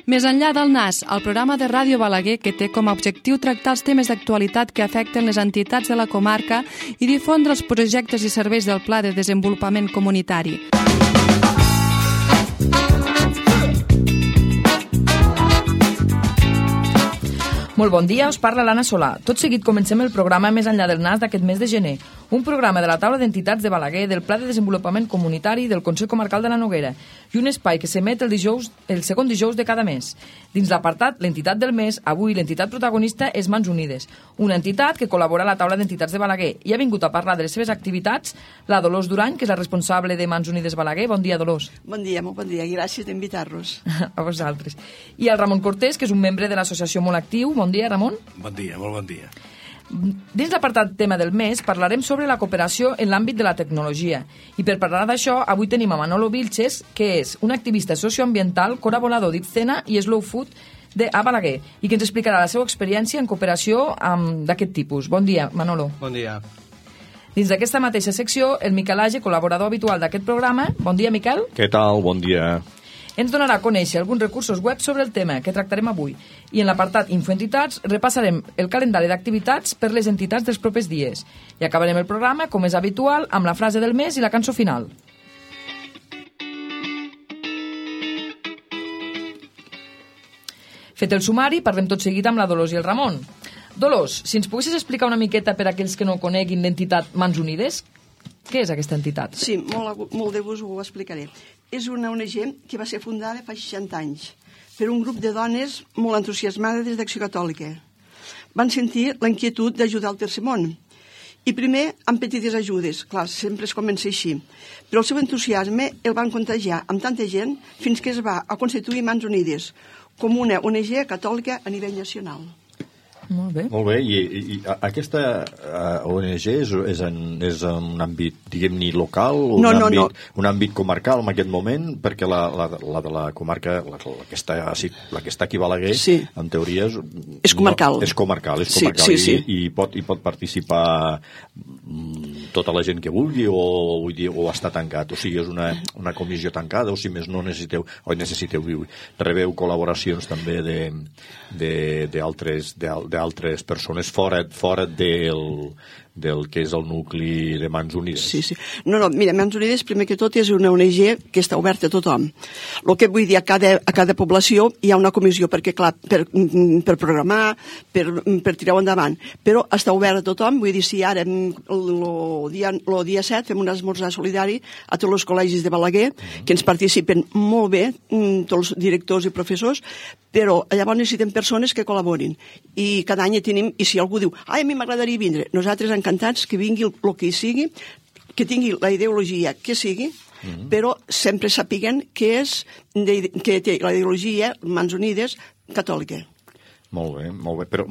Més enllà del NAS, el programa de Ràdio Balaguer que té com a objectiu tractar els temes d'actualitat que afecten les entitats de la comarca i difondre els projectes i serveis del Pla de Desenvolupament Comunitari. Molt bon dia, us parla l'Anna Solà. Tot seguit comencem el programa Més enllà del NAS d'aquest mes de gener, un programa de la taula d'entitats de Balaguer, del Pla de Desenvolupament Comunitari del Consell Comarcal de la Noguera i un espai que s'emet el segon dijous de cada mes. Dins l'apartat l'entitat del mes, avui l'entitat protagonista és Mans Unides, una entitat que col·labora a la taula d'entitats de Balaguer i ha vingut a parlar de les seves activitats la Dolors Durany, que és la responsable de Mans Unides Balaguer. Bon dia, Dolors. Bon dia, molt bon dia, i gràcies d'invitar-nos. A vosaltres. I el Ramon Cortés, que és un membre de l'associació Molt Actiu. Bon dia, Ramon. Bon dia, molt bon dia. Dins l'apartat tema del mes parlarem sobre la cooperació en l'àmbit de la tecnologia. I per parlar d'això, avui tenim a Manolo Vilches, que és un activista socioambiental, col·laborador d'Ibcena i Slow Food a Balaguer, i que ens explicarà la seva experiència en cooperació d'aquest tipus. Bon dia, Manolo. Bon dia. Dins d'aquesta mateixa secció, el Miquel Age, col·laborador habitual d'aquest programa. Bon dia, Miquel. Què tal? Bon dia. Ens donarà a conèixer alguns recursos web sobre el tema que tractarem avui. I en l'apartat Infoentitats repassarem el calendari d'activitats per les entitats dels propers dies. I acabarem el programa, com és habitual, amb la frase del mes i la cançó final. Fet el sumari, parlem tot seguit amb la Dolors i el Ramon. Dolors, si ens poguessis explicar una miqueta per a aquells que no coneguin l'entitat Mans Unides, què és aquesta entitat? Sí, molt de gust ho explicaré. És una ONG que va ser fundada fa 60 anys per un grup de dones molt entusiasmades d'Acció Catòlica. Van sentir la inquietud d'ajudar el tercer món. I primer amb petites ajudes, clar, sempre es comença així. Però el seu entusiasme el van contagiar amb tanta gent fins que es va a constituir Mans Unides com una ONG catòlica a nivell nacional. Molt bé. Molt bé, i aquesta ONG és en un àmbit, diguem-ne, local? Un àmbit comarcal en aquest moment? Perquè la de la comarca, la que està aquí a Balaguer, sí, en teoria és comarcal. És comarcal. Sí. I pot participar tota la gent que vulgui o està tancat? O sigui, és una comissió tancada, o si més no necessiteu rebeu col·laboracions també d'altres persones fora del que és el nucli de Mans Unides. Sí. No, mira, Mans Unides, primer que tot, és una ONG que està oberta a tothom. El que vull dir, a cada població hi ha una comissió, perquè, clar, per programar, per tirar-ho endavant, però està obert a tothom. Vull dir, si ara, el dia 7, fem un esmorzar solidari a tots els col·legis de Balaguer, que ens participen molt bé, tots els directors i professors, però llavors necessitem persones que col·laborin. I cada any tenim, i si algú diu, a mi m'agradaria vindre, nosaltres encantats que vingui el que sigui, que tingui la ideologia que sigui, però sempre sapiguen que té la ideologia Mans Unides catòlica. Molt bé, però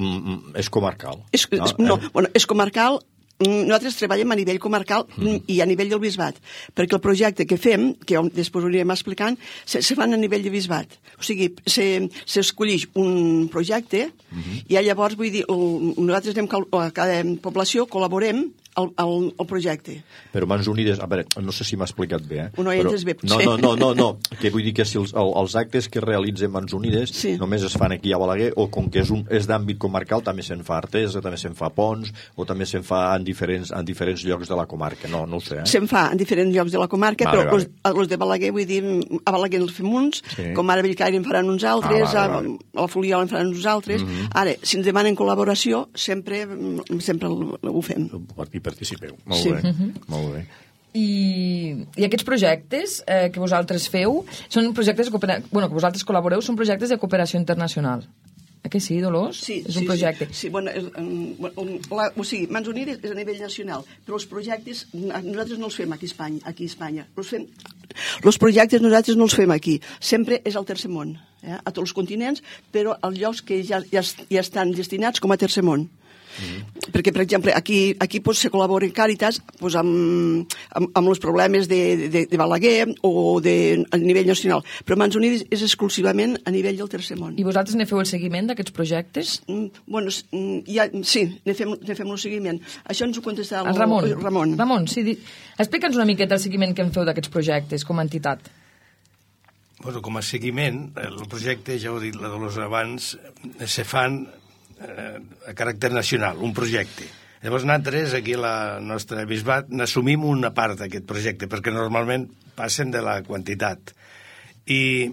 és comarcal. És comarcal. Nosaltres treballem a nivell comarcal i a nivell del bisbat, perquè el projecte que fem, que després ho anirem explicant, se fan a nivell de bisbat. O sigui, s'escollix un projecte i llavors, vull dir, nosaltres anem a cada població, col·laborem al projecte. Però Mans Unides, a veure, no sé si m'ha explicat bé, no hi entes bé, potser. No, que vull dir que si els actes que realitzen Mans Unides només es fan aquí a Balaguer, o com que és d'àmbit comarcal, també se'n fa Artesa, també se'n fa Pons, o també se'n fa en diferents llocs de la comarca, no ho sé. Se'n fa en diferents llocs de la comarca, però els de Balaguer, vull dir, a Balaguer els fem uns, com ara a Bellcaire en faran uns altres, a la Fuliola en faran uns altres. Ara, si ens demanen col·laboració, sempre ho fem. Participeu. Molt bé. I aquests projectes que vosaltres feu són projectes que vosaltres col·laboreu, són projectes de cooperació internacional. Que sí, Dolors? Sí, és un projecte. Sí, o sigui, Mans Unides és a nivell nacional, però els projectes nosaltres no els fem aquí a Espanya. Els projectes nosaltres no els fem aquí. Sempre és al tercer món, a tots els continents, però als llocs que ja estan destinats com a tercer món. Perquè, per exemple, aquí se col·labora Càritas amb els problemes de Balaguer o a nivell nacional, però Mans Unides és exclusivament a nivell del tercer món. I vosaltres ne feu el seguiment d'aquests projectes? Sí, ne fem el seguiment. Això ens ho contestarà el Ramon. Ramon, sí, explica'ns una miqueta el seguiment que en feu d'aquests projectes com a entitat. Bueno, com a seguiment, el projecte, ja ho ha dit la Dolors abans, se fan a caràcter nacional, un projecte. Llavors nosaltres, aquí a la nostra bisbat, n'assumim una part d'aquest projecte, perquè normalment passen de la quantitat. I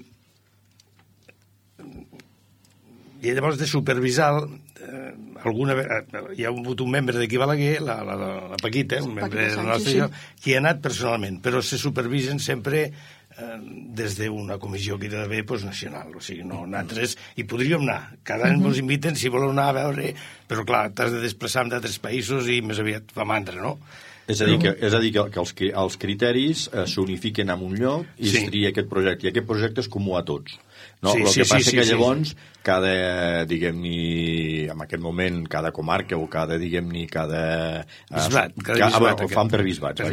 llavors de supervisar hi ha hagut un membre d'aquí Balaguer, la Paquita, un membre del nostre lloc, qui ha anat personalment, però se supervisen sempre des d'una comissió que hi ha d'haver nacional. O sigui, no, nosaltres hi podríem anar. Cada any ens inviten si voleu anar a veure, però clar, t'has de desplaçar d'altres països i més aviat fa mandra, no? És a dir, que els criteris s'unifiquen en un lloc i es tria aquest projecte. I aquest projecte és comú a tots. No? El que passa que llavors, cada, diguem-ne, en aquest moment, cada comarca o cada, diguem-ne, cada... bisbat. Ho fan per bisbats.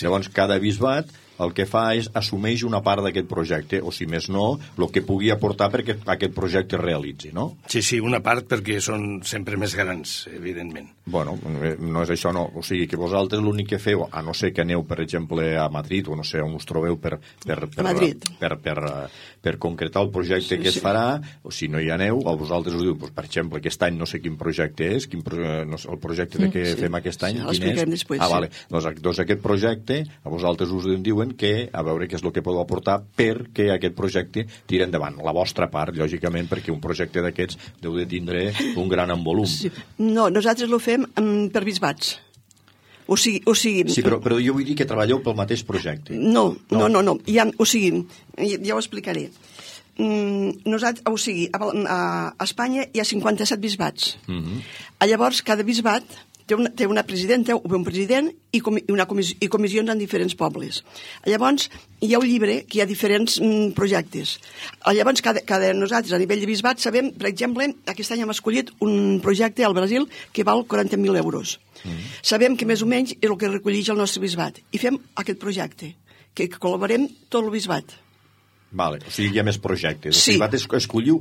Llavors, cada bisbat el que fa és assumeix una part d'aquest projecte, o si més no, el que pugui aportar perquè aquest projecte es realitzi, no? Sí, una part perquè són sempre més grans, evidentment. Bueno, no és això, no. O sigui, que vosaltres l'únic que feu, a no ser que aneu, per exemple, a Madrid, o no sé on us trobeu per concretar el projecte que es farà, o si no hi aneu, a vosaltres us diu, per exemple, aquest any no sé quin projecte és, el projecte que fem aquest any, quin és? Vale. Doncs aquest projecte, a vosaltres us diuen que a veure què és el que podeu aportar perquè aquest projecte tiri endavant. La vostra part, lògicament, perquè un projecte d'aquests deu de tindre un gran envolum. Sí. No, nosaltres ho fem per bisbats. O sigui... Sí, però jo vull dir que treballeu pel mateix projecte. No. O sigui, ja ho explicaré. A Espanya hi ha 57 bisbats. Llavors, cada bisbat té una presidenta o un president i comissions en diferents pobles. Llavors, hi ha un llibre que hi ha diferents projectes. Llavors, nosaltres, a nivell de bisbat, sabem, per exemple, aquest any hem escollit un projecte al Brasil que val 40.000 euros. Sabem que més o menys és el que recolleix el nostre bisbat. I fem aquest projecte, que col·laborem tot el bisbat. Vale, o sigui, hi ha més projectes. Sí. O sigui, escolliu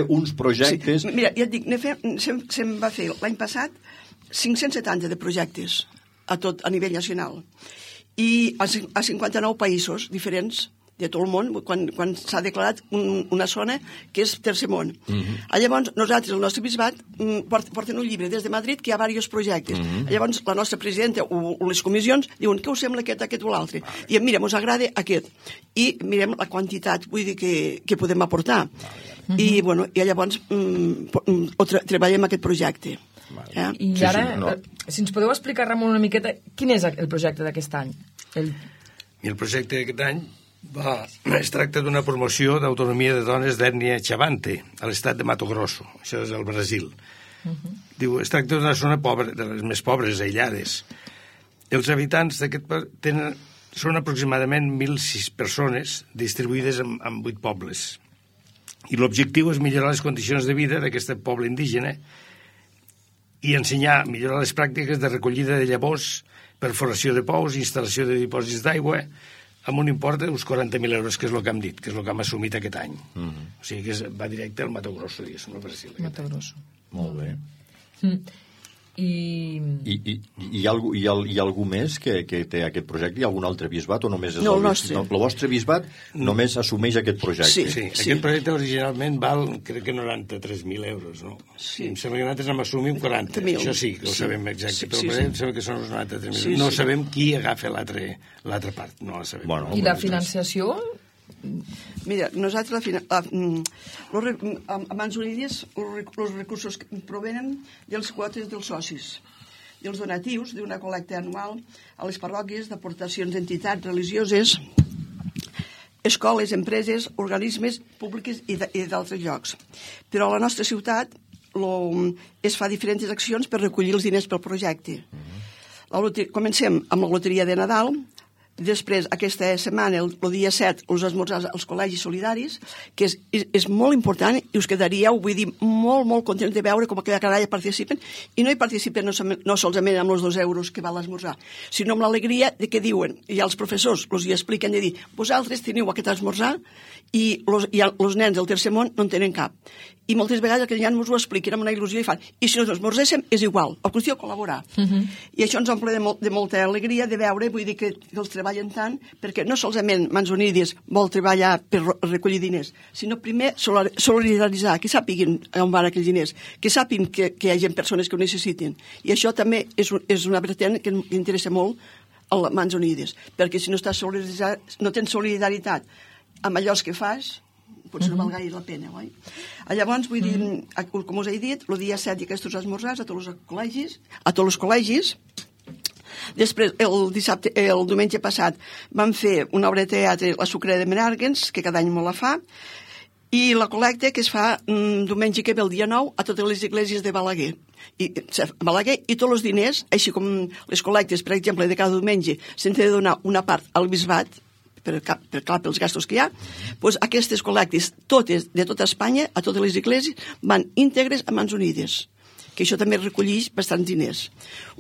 uns projectes... Sí. Mira, ja et dic, se'm va fer l'any passat 570 de projectes a nivell nacional i a 59 països diferents de tot el món, quan s'ha declarat una zona que és tercer món. Llavors, nosaltres, el nostre bisbat, porten un llibre des de Madrid que hi ha diversos projectes. Llavors, la nostra presidenta o les comissions diuen què us sembla aquest o l'altre. I mira, ens agrada aquest. I mirem la quantitat, vull dir, que podem aportar. I llavors treballem aquest projecte. I ara, si ens podeu explicar, Ramon, una miqueta, quin és el projecte d'aquest any? El projecte d'aquest any es tracta d'una promoció d'autonomia de dones d'ètnia Chavante, a l'estat de Mato Grosso, això és el Brasil. Diu, es tracta d'una zona pobra, de les més pobres, aïllades. Els habitants d'aquest són aproximadament 1.006 persones distribuïdes en 8 pobles. I l'objectiu és millorar les condicions de vida d'aquest poble indígena i millorar les pràctiques de recollida de llavors, perforació de pous, instal·lació de dipòsits d'aigua, amb un import d'uns 40.000 euros, que és el que hem dit, que és el que hem assumit aquest any. O sigui que va directe al Mato Grosso, diguéssim, al Brasil. Mato Grosso. Molt bé. Hi ha algú més que té aquest projecte? Hi ha algun altre bisbat o només és el nostre? No, el vostre bisbat només assumeix aquest projecte. Sí. Aquest projecte originalment val, crec que 93.000 euros, no? Sí. Em sembla que nosaltres n'hem assumit 40. Això sí, que ho sabem exacte. Però per exemple, que són uns 93.000. No sabem qui agafa l'altra part. No la sabem. I la financiació? Mira, nosaltres a Mans Unides els recursos provenen dels quotes dels socis, dels donatius d'una col·lecta anual a les parròquies, d'aportacions d'entitats religioses, escoles, empreses, organismes públics i d'altres llocs. Però a la nostra ciutat es fa diferents accions per recollir els diners pel projecte. Comencem amb la loteria de Nadal. Després, aquesta setmana, el dia 7, els esmorzars als col·legis solidaris, que és molt important i us quedaríeu, vull dir, molt, molt contents de veure com aquella canalla participen, i no hi participen no solament amb els 2 euros que val l'esmorzar, sinó amb l'alegria de que diuen, i els professors els hi expliquen de dir, vosaltres teniu aquest esmorzar i els nens del tercer món no en tenen cap. I moltes vegades aquells nen ens ho expliquen amb una il·lusió i fan, i si no esmorzéssim és igual, la qüestió col·laborar. I això ens omple de molta alegria de veure, vull dir que els treballen tant, perquè no solament Mans Unides vol treballar per recollir diners, sinó primer solidaritzar, que sàpiguin on van aquells diners, que sàpiguin que hi ha persones que ho necessiten. I això també és una vertent que interessa molt a Mans Unides, perquè si no tens solidaritat amb allò que fas, potser no val gaire la pena, oi? Llavors, vull dir, com us he dit, el dia 7 hi ha aquests esmorzars a tots els col·legis. Després, el diumenge passat, vam fer una obra de teatre, La Sucrera de Menàrguens, que cada any me la fa, i la col·lecta que es fa diumenge que ve el dia 9 a totes les esglésies de Balaguer. I tots els diners, així com les col·lectes, per exemple, de cada diumenge, s'han de donar una part al bisbat, pels gastos que hi ha, doncs aquestes col·lectes, totes, de tota Espanya, a totes les esglésies, van íntegres a Mans Unides, que això també recolleix bastants diners.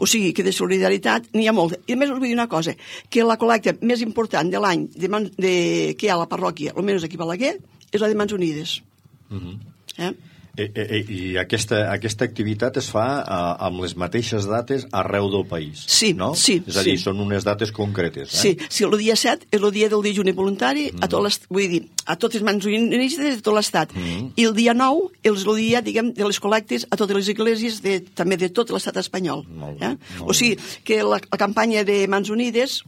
O sigui, que de solidaritat n'hi ha molta. I a més us vull dir una cosa, que la col·lecta més important de l'any que hi ha a la parròquia, almenys aquí a Balaguer, és la de Mans Unides. I aquesta activitat es fa amb les mateixes dates arreu del país, no? Sí. És a dir, són unes dates concretes. Sí, el dia 7 és el dia del dejuni voluntari a totes Mans Unides de tot l'Estat. I el dia 9 és el dia, diguem, de les col·lectes a totes les esglésies també de tot l'Estat espanyol. O sigui, que la campanya de Mans Unides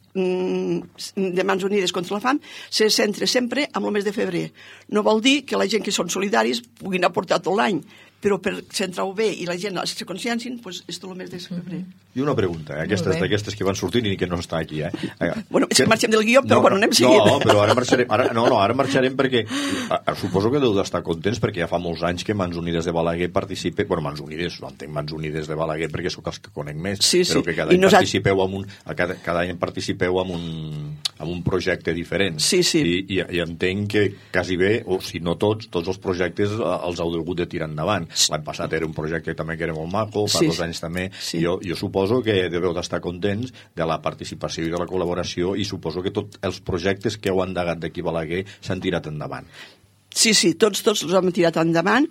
contra la fam se centra sempre en el mes de febrer. No vol dir que la gent que són solidaris puguin aportar tot l'any, però per centrar-ho bé i la gent se consciencin, doncs és tot el mes de febrer. I una pregunta, d'aquestes que van sortint i que no està aquí, Bueno, és que marxem del guió, però anem seguint. No, però ara marxarem perquè suposo que deu d'estar contents perquè ja fa molts anys que Mans Unides de Balaguer participa, bueno, Mans Unides, no entenc Mans Unides de Balaguer perquè sóc els que conec més, però que cada any participeu en un projecte diferent. I entenc que quasi bé, o si no tots els projectes els heu hagut de tirar endavant. L'any passat era un projecte també que era molt maco, fa 2 anys també. Jo suposo que deveu d'estar contents de la participació i de la col·laboració i suposo que tots els projectes que heu endegat d'aquí a Balaguer s'han tirat endavant. Sí, tots els hem tirat endavant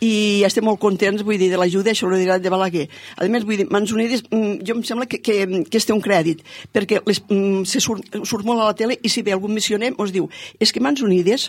i estem molt contents, vull dir, de l'ajuda i solidaritat de Balaguer. A més, vull dir, Mans Unides, jo em sembla que es té un crèdit, perquè se surt molt a la tele i si ve algun missioner ens diu, és que Mans Unides,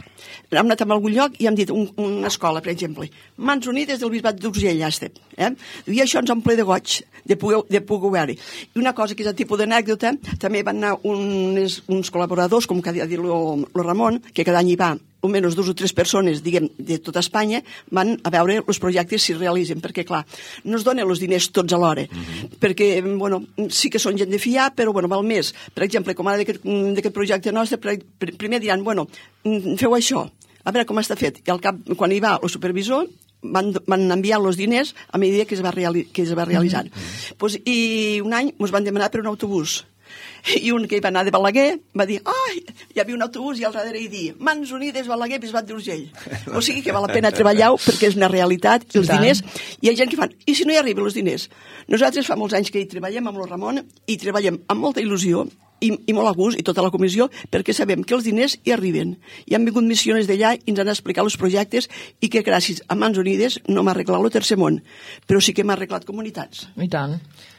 hem anat a algun lloc i hem dit una escola, per exemple, Mans Unides del Bisbat d'Urgell, i això ens omple de goig de poder veure. I una cosa que és el tipus d'anècdota, també van anar uns col·laboradors, com que ha dit el Ramon, que cada any hi va almenys 2 o 3 persones, diguem, de tota Espanya, van a veure els projectes si es realitzen, perquè, clar, no es donen els diners tots alhora, perquè, bueno, sí que són gent de fiar, però, bueno, val més. Per exemple, com ara d'aquest projecte nostre, primer diran, bueno, feu això, a veure com està fet. I al cap, quan hi va el supervisor, van enviar els diners a mesura que es va realitzar. I un any ens van demanar per un autobús. I un que hi va anar de Balaguer va dir, hi havia un autobús i al darrere hi dia Mans Unides, Balaguer, Bisbat d'Urgell. O sigui que val la pena treballar perquè és una realitat, i els diners, hi ha gent que fan, i si no hi arriben els diners? Nosaltres fa molts anys que hi treballem amb el Ramon i treballem amb molta il·lusió i molt a gust, i tota la comissió, perquè sabem que els diners hi arriben. I han vingut missiones d'allà i ens han explicat els projectes i que gràcies a Mans Unides no m'ha arreglat el tercer món, però sí que m'ha arreglat comunitats. I tant.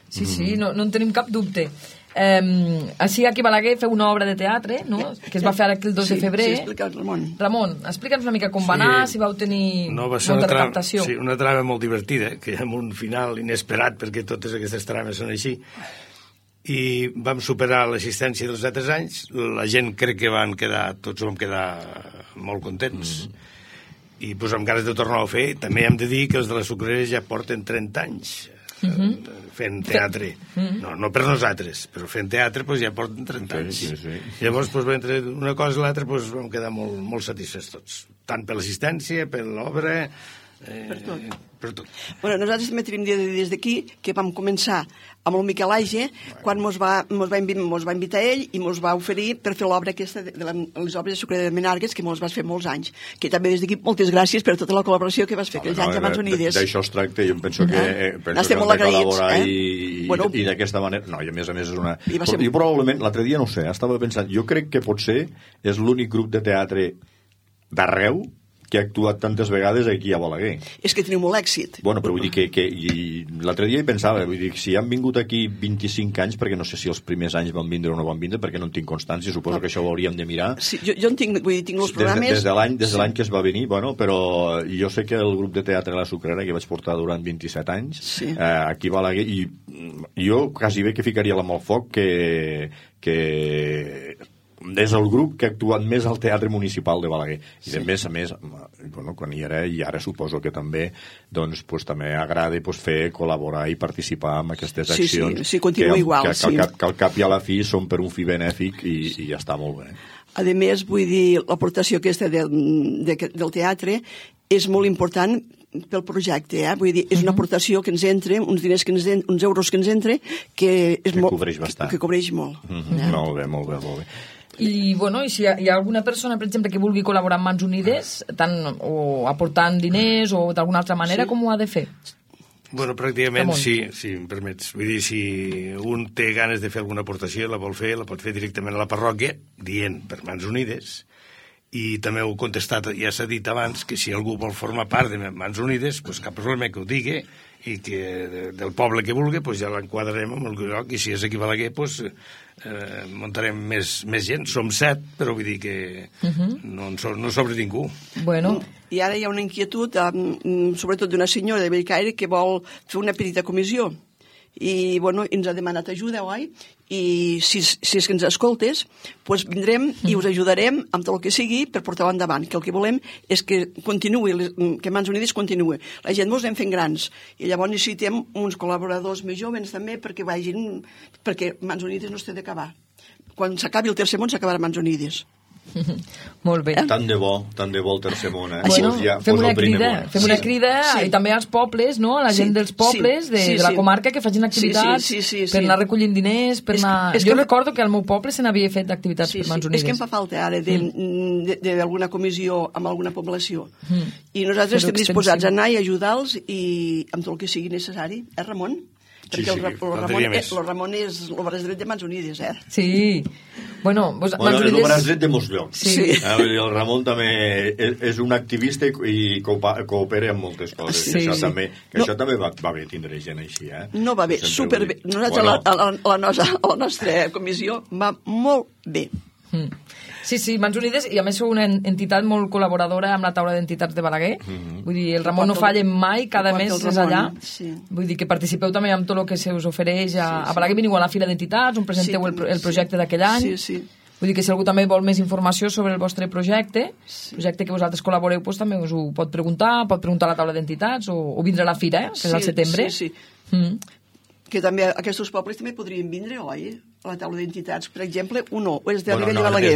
Sí, no en tenim cap dubte. Així aquí a Balaguer feu una obra de teatre, no? Que es va fer aquí el 2 de febrer. Sí, explica el Ramon. Ramon, explica'ns una mica com va anar, si vau tenir molta recaptació. Sí, una trama molt divertida, que amb un final inesperat, perquè totes aquestes trames són així. I vam superar l'assistència dels altres anys, la gent crec que tots vam quedar molt contents. I doncs amb ganes de tornar-ho a fer. També hem de dir que els de la Sucrera ja porten 30 anys fent teatre. No per nosaltres, però fent teatre ja porten 30 anys. Llavors, entre una cosa i l'altra, vam quedar molt satisfets tots. Tant per l'assistència, per l'obra, per tot. Bueno, nosaltres també tenim des d'aquí que vam començar amb el Miquel Aige, quan mos va invitar ell i mos va oferir per fer l'obra aquesta de les obres de Sucrera de Menàrguens, que mos vas fer molts anys. Que també des d'aquí moltes gràcies per tota la col·laboració que vas fer aquells anys a Mans Unides. D'això es tracta, jo penso que hem de col·laborar i d'aquesta manera. No, i a més és una... Jo probablement, l'altre dia no ho sé, estava pensant, jo crec que potser és l'únic grup de teatre d'arreu que ha actuat tantes vegades aquí a Balaguer. És que teniu molt èxit. Bueno, però vull dir que l'altre dia hi pensava, vull dir, si han vingut aquí 25 anys, perquè no sé si els primers anys van vindre o no van vindre, perquè no en tinc constància, suposo que això ho hauríem de mirar. Sí, jo en tinc, vull dir, tinc els programes... Des de l'any que es va venir, bueno, però jo sé que el grup de teatre La Sucrera, que vaig portar durant 27 anys, aquí a Balaguer, i jo quasi bé que ficaria la mà al foc que és el grup que ha actuat més al Teatre Municipal de Balaguer. I a més, bueno, quan hi era, i ara suposo que també, doncs, també agrada fer col·laborar i participar en aquestes accions. Sí, continua igual. Que al cap i a la fi són per un fi benèfic i ja està molt bé. A més, vull dir, l'aportació aquesta del teatre és molt important pel projecte, vull dir, és una aportació que ens entra, uns diners que uns euros que ens entra, que cobreix bastant. Que cobreix molt. Molt bé, molt bé, molt bé. I, bueno, i si hi ha alguna persona, per exemple, que vulgui col·laborar amb Mans Unides, tant o aportant diners o d'alguna altra manera, com ho ha de fer? Bueno, pràcticament sí, si em permets. Vull dir, si un té ganes de fer alguna aportació, la pot fer directament a la parròquia, dient per Mans Unides, i també ho he contestat, ja s'ha dit abans, que si algú vol formar part de Mans Unides, pues cap problema que ho digui, i que del poble que vulgui, pues ja l'enquadrarem en el lloc, i si és aquí a Balaguer, pues muntarem més gent. Som 7, però vull dir que no sobre ningú. Bueno. I ara hi ha una inquietud, sobretot d'una senyora de Bellcaire, que vol fer una petita comissió. I, bueno, ens ha demanat ajuda, oi? I si és que ens escoltes, doncs vindrem i us ajudarem amb tot el que sigui per portar-ho endavant, que el que volem és que continuï, que Mans Unides continuï. La gent ens anem fent grans i llavors necessitem uns col·laboradors més joves també perquè Mans Unides no es té d'acabar. Quan s'acabi el tercer món s'acabarà Mans Unides. Molt bé. Tant de bo el tercer món, Bueno, fem una crida i també als pobles, no? A la gent dels pobles de la comarca que facin activitats per anar recollint diners, per anar... Jo recordo que al meu poble se n'havia fet activitats per Mans Unides. És que em fa falta ara d'alguna comissió amb alguna població. I nosaltres estem disposats a anar i ajudar-los i amb tot el que sigui necessari. Ramon? Perquè el Ramon és el braç dret de Mans Unides, Sí. Bueno, és el braç dret de molts llocs. Sí. El Ramon també és un activista i coopera amb moltes coses. Sí. Això també va bé tindre gent així, No va bé, superbé. Nosaltres a la nostra comissió va molt bé. Sí, Mans Unides, i a més sou una entitat molt col·laboradora amb la taula d'entitats de Balaguer. Vull dir, el Ramon no falla mai, cada mes és allà. Vull dir que participeu també amb tot el que se us ofereix a Balaguer. Veniu a la fila d'entitats, on presenteu el projecte d'aquell any. Vull dir que si algú també vol més informació sobre el vostre projecte que vosaltres col·laboreu, doncs també us ho pot preguntar a la taula d'entitats o vindre a la fira, que és al setembre. Sí. Que també aquests pobles també podrien vindre, oi? A la taula d'entitats, per exemple, o és de nivell de Balaguer.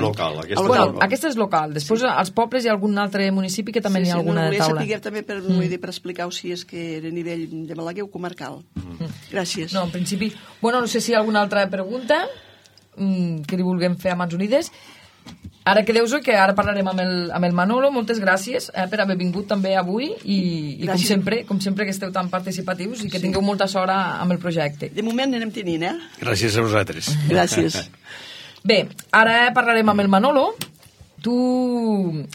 Aquesta és local. Després, als pobles hi ha algun altre municipi que també hi ha alguna taula. Volia saber també per explicar-ho si és que era a nivell de Balaguer o comarcal. Gràcies. No, en principi... Bueno, no sé si hi ha alguna altra pregunta que li vulguem fer a Mans Unides. Ara quedeu-vos que ara parlarem amb el Manolo. Moltes gràcies per haver vingut també avui i com sempre que esteu tan participatius i que tingueu molta sort amb el projecte. De moment anem tenint, Gràcies a vosaltres. Gràcies. Bé, ara parlarem amb el Manolo. Tu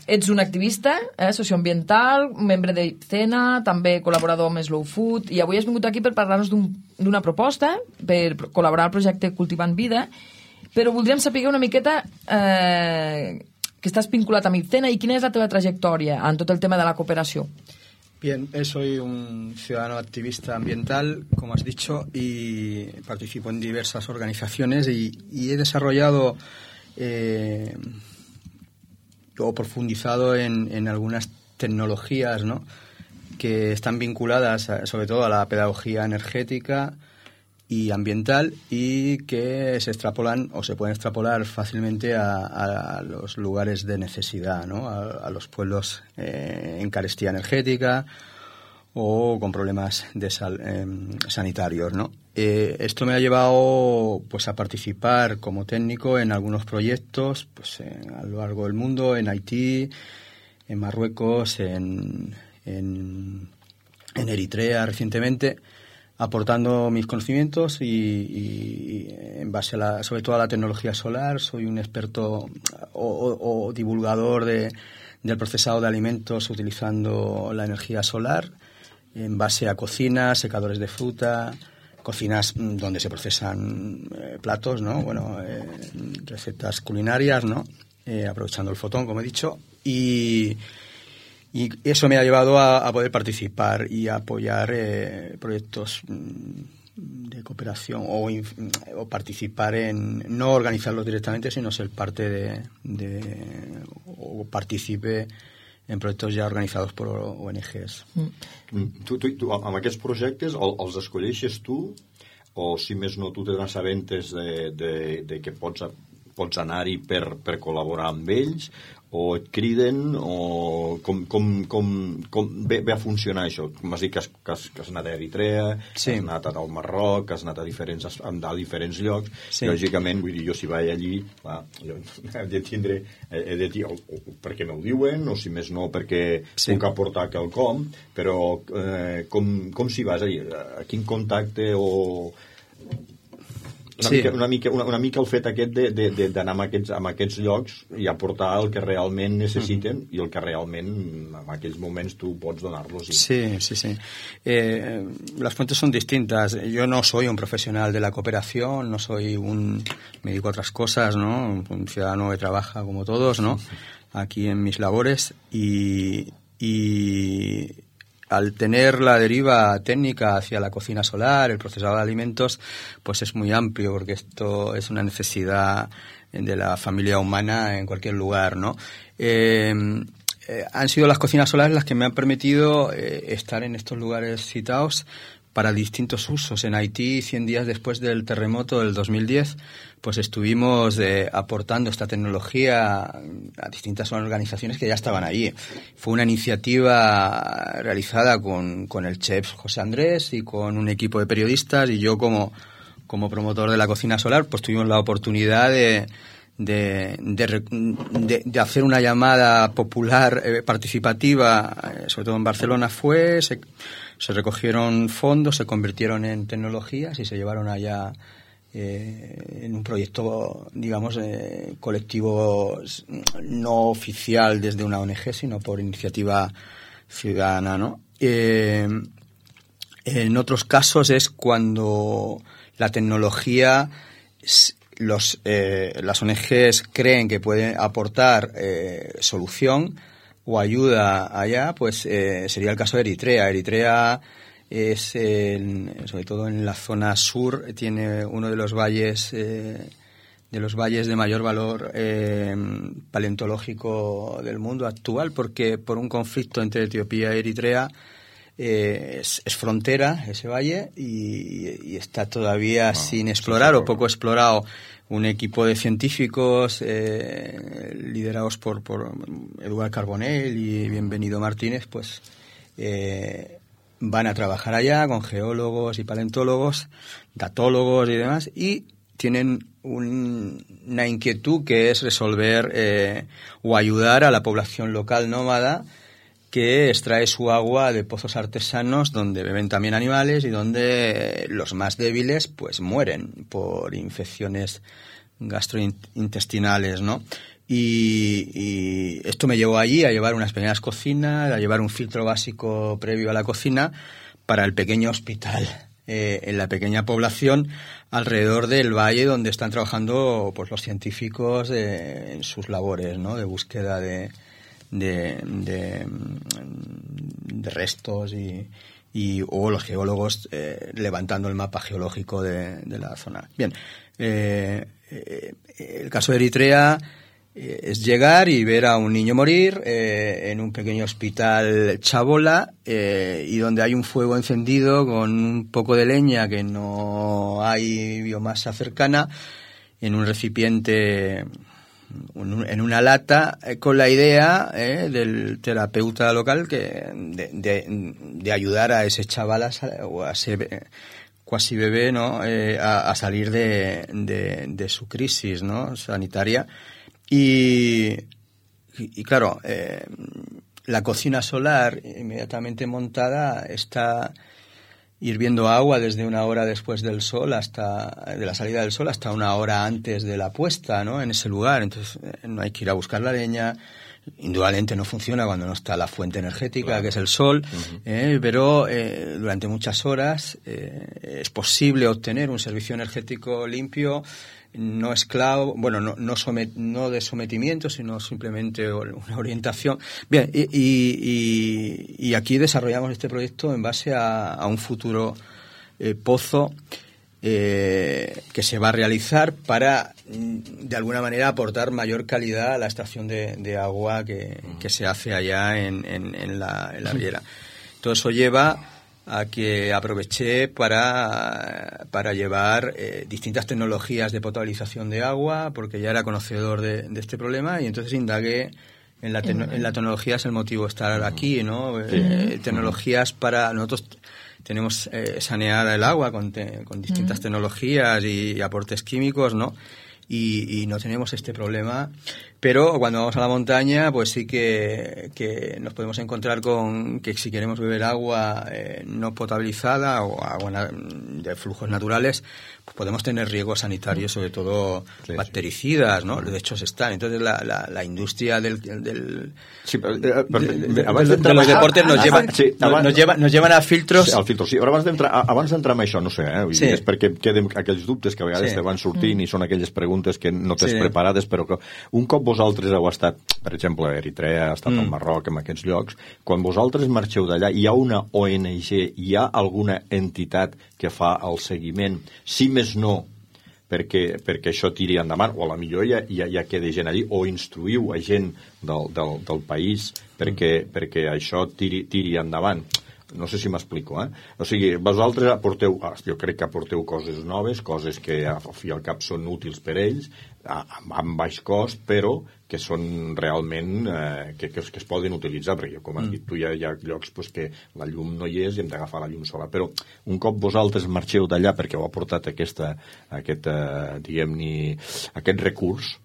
ets un activista socioambiental, membre d'Icena, també col·laborador amb Slow Food, i avui has vingut aquí per parlar-nos d'una proposta per col·laborar al projecte Cultivant Vida. Pero voldríem saber una miqueta que estás vinculat amb Icena y quién es la teva trayectoria en todo el tema de la cooperación. Bien, soy un ciudadano activista ambiental, como has dicho, y participo en diversas organizaciones y he desarrollado o profundizado en algunas tecnologías, ¿no?, que están vinculadas sobre todo a la pedagogía energética y ambiental y que se extrapolan o se pueden extrapolar fácilmente a los lugares de necesidad, ¿no?, a los pueblos en carestía energética o con problemas de sanitarios, ¿no? Esto me ha llevado pues a participar como técnico en algunos proyectos pues a lo largo del mundo, en Haití, en Marruecos, en Eritrea recientemente, aportando mis conocimientos y en base sobre todo a la tecnología solar. Soy un experto o divulgador de del procesado de alimentos utilizando la energía solar en base a cocinas, secadores de fruta, cocinas donde se procesan platos, ¿no? Bueno, recetas culinarias, ¿no? Aprovechando el fotón, como he dicho, y eso me ha llevado a poder participar y a apoyar proyectos de cooperación o participar en, no organizarlos directamente, sino ser parte o participe en proyectos ja organitzats per ONGs. Tu amb aquests projectes els escolleixes tu o si més no tu te n'assabentes de que pots anar-hi per col·laborar amb ells o et criden o com ve a funcionar això? M'has dit que has anat a Eritrea, sí. Has anat al Marroc, has anat a diferents llocs, sí. Lògicament, vull dir, jo si vaig allí jo he de tindre perquè m'ho diuen o si més no perquè sí. Puc aportar quelcom, però com s'hi vas allí? A quin contacte o... Una mica el fet aquest d'anar a aquests llocs i aportar el que realment necessiten i el que realment en aquells moments tu pots donar-los. Sí. Las fuentes son distintas. Yo no soy un profesional de la cooperación, no soy me dedico a otras cosas, ¿no? Un ciudadano que trabaja como todos, ¿no? Aquí en mis labores y al tener la deriva técnica hacia la cocina solar, el procesado de alimentos, pues es muy amplio porque esto es una necesidad de la familia humana en cualquier lugar, ¿no? Han sido las cocinas solares las que me han permitido estar en estos lugares citados para distintos usos. En Haití, 100 días después del terremoto del 2010, pues estuvimos aportando esta tecnología a distintas organizaciones que ya estaban allí. Fue una iniciativa realizada con el chef José Andrés y con un equipo de periodistas, y yo como promotor de la cocina solar, pues tuvimos la oportunidad de hacer una llamada popular participativa, sobre todo en Barcelona se recogieron fondos, se convirtieron en tecnologías y se llevaron allá en un proyecto, digamos, colectivo no oficial desde una ONG, sino por iniciativa ciudadana, ¿no? En otros casos es cuando la tecnología, las ONGs creen que pueden aportar solución o ayuda allá, pues sería el caso de Eritrea. Eritrea es, sobre todo en la zona sur, tiene uno de los valles de mayor valor paleontológico del mundo actual, porque por un conflicto entre Etiopía y Eritrea es frontera ese valle y está todavía sin explorar o poco explorado. Un equipo de científicos liderados por Eduard Carbonell y Bienvenido Martínez, pues van a trabajar allá con geólogos y paleontólogos, datólogos y demás, y tienen una inquietud que es resolver o ayudar a la población local nómada que extrae su agua de pozos artesanos donde beben también animales y donde los más débiles pues mueren por infecciones gastrointestinales, ¿no? Y esto me llevó allí a llevar unas pequeñas cocinas, a llevar un filtro básico previo a la cocina para el pequeño hospital en la pequeña población alrededor del valle donde están trabajando pues los científicos en sus labores, ¿no? De búsqueda de restos o los geólogos levantando el mapa geológico de la zona. Bien, el caso de Eritrea es llegar y ver a un niño morir en un pequeño hospital chabola y donde hay un fuego encendido con un poco de leña que no hay biomasa cercana en un recipiente, en una lata, con la idea del terapeuta local de ayudar a ese chaval o a ese cuasi bebé, ¿no? A salir de su crisis, ¿no? Sanitaria. Y claro, la cocina solar inmediatamente montada está hirviendo agua desde una hora después de la salida del sol hasta una hora antes de la puesta, ¿no? En ese lugar. Entonces no hay que ir a buscar la leña, Indudablemente no funciona cuando no está la fuente energética, que es el sol, pero durante muchas horas es posible obtener un servicio energético limpio, no esclavo, bueno, no de sometimiento, sino simplemente una orientación. Bien, y aquí desarrollamos este proyecto en base a un futuro pozo que se va a realizar para, de alguna manera, aportar mayor calidad a la extracción de agua que se hace allá en la riera. Todo eso lleva a que aproveché para llevar distintas tecnologías de potabilización de agua, porque ya era conocedor de este problema, y entonces indagué en la tecnología. Es el motivo de estar aquí, ¿no? Tecnologías para... Nosotros tenemos sanear el agua con distintas tecnologías y aportes químicos, ¿no? Y no tenemos este problema. Pero cuando vamos a la montaña, pues sí que nos podemos encontrar con que si queremos beber agua no potabilizada o agua de flujos naturales, pues podemos tener riesgos sanitarios, sobre todo bactericidas, ¿no? De hecho, se están. Entonces, la industria de los deportes nos llevan a filtros... Sí, al filtro, sí. Però abans d'entrar en això, no sé, és perquè queden aquells dubtes que a vegades te van sortint i són aquelles preguntes que no tens preparades, però que un cop vosaltres heu estat, per exemple, a Eritrea, ha estat al Marroc, en aquests llocs, quan vosaltres marxeu d'allà, hi ha una ONG, hi ha alguna entitat que fa el seguiment, si més no, perquè això tiri endavant, o a la millor ja queda gent allí, o instruïu a gent del país perquè això tiri endavant. No sé si m'explico, O sigui, vosaltres aporteu, jo crec que aporteu coses noves, coses que al fi i al cap són útils per ells, amb baix cost, però que són realment que es poden utilitzar, perquè com has dit tu, hi ha llocs que la llum no hi és i hem d'agafar la llum sola. Però un cop vosaltres marxeu d'allà perquè heu aportat aquest recurs,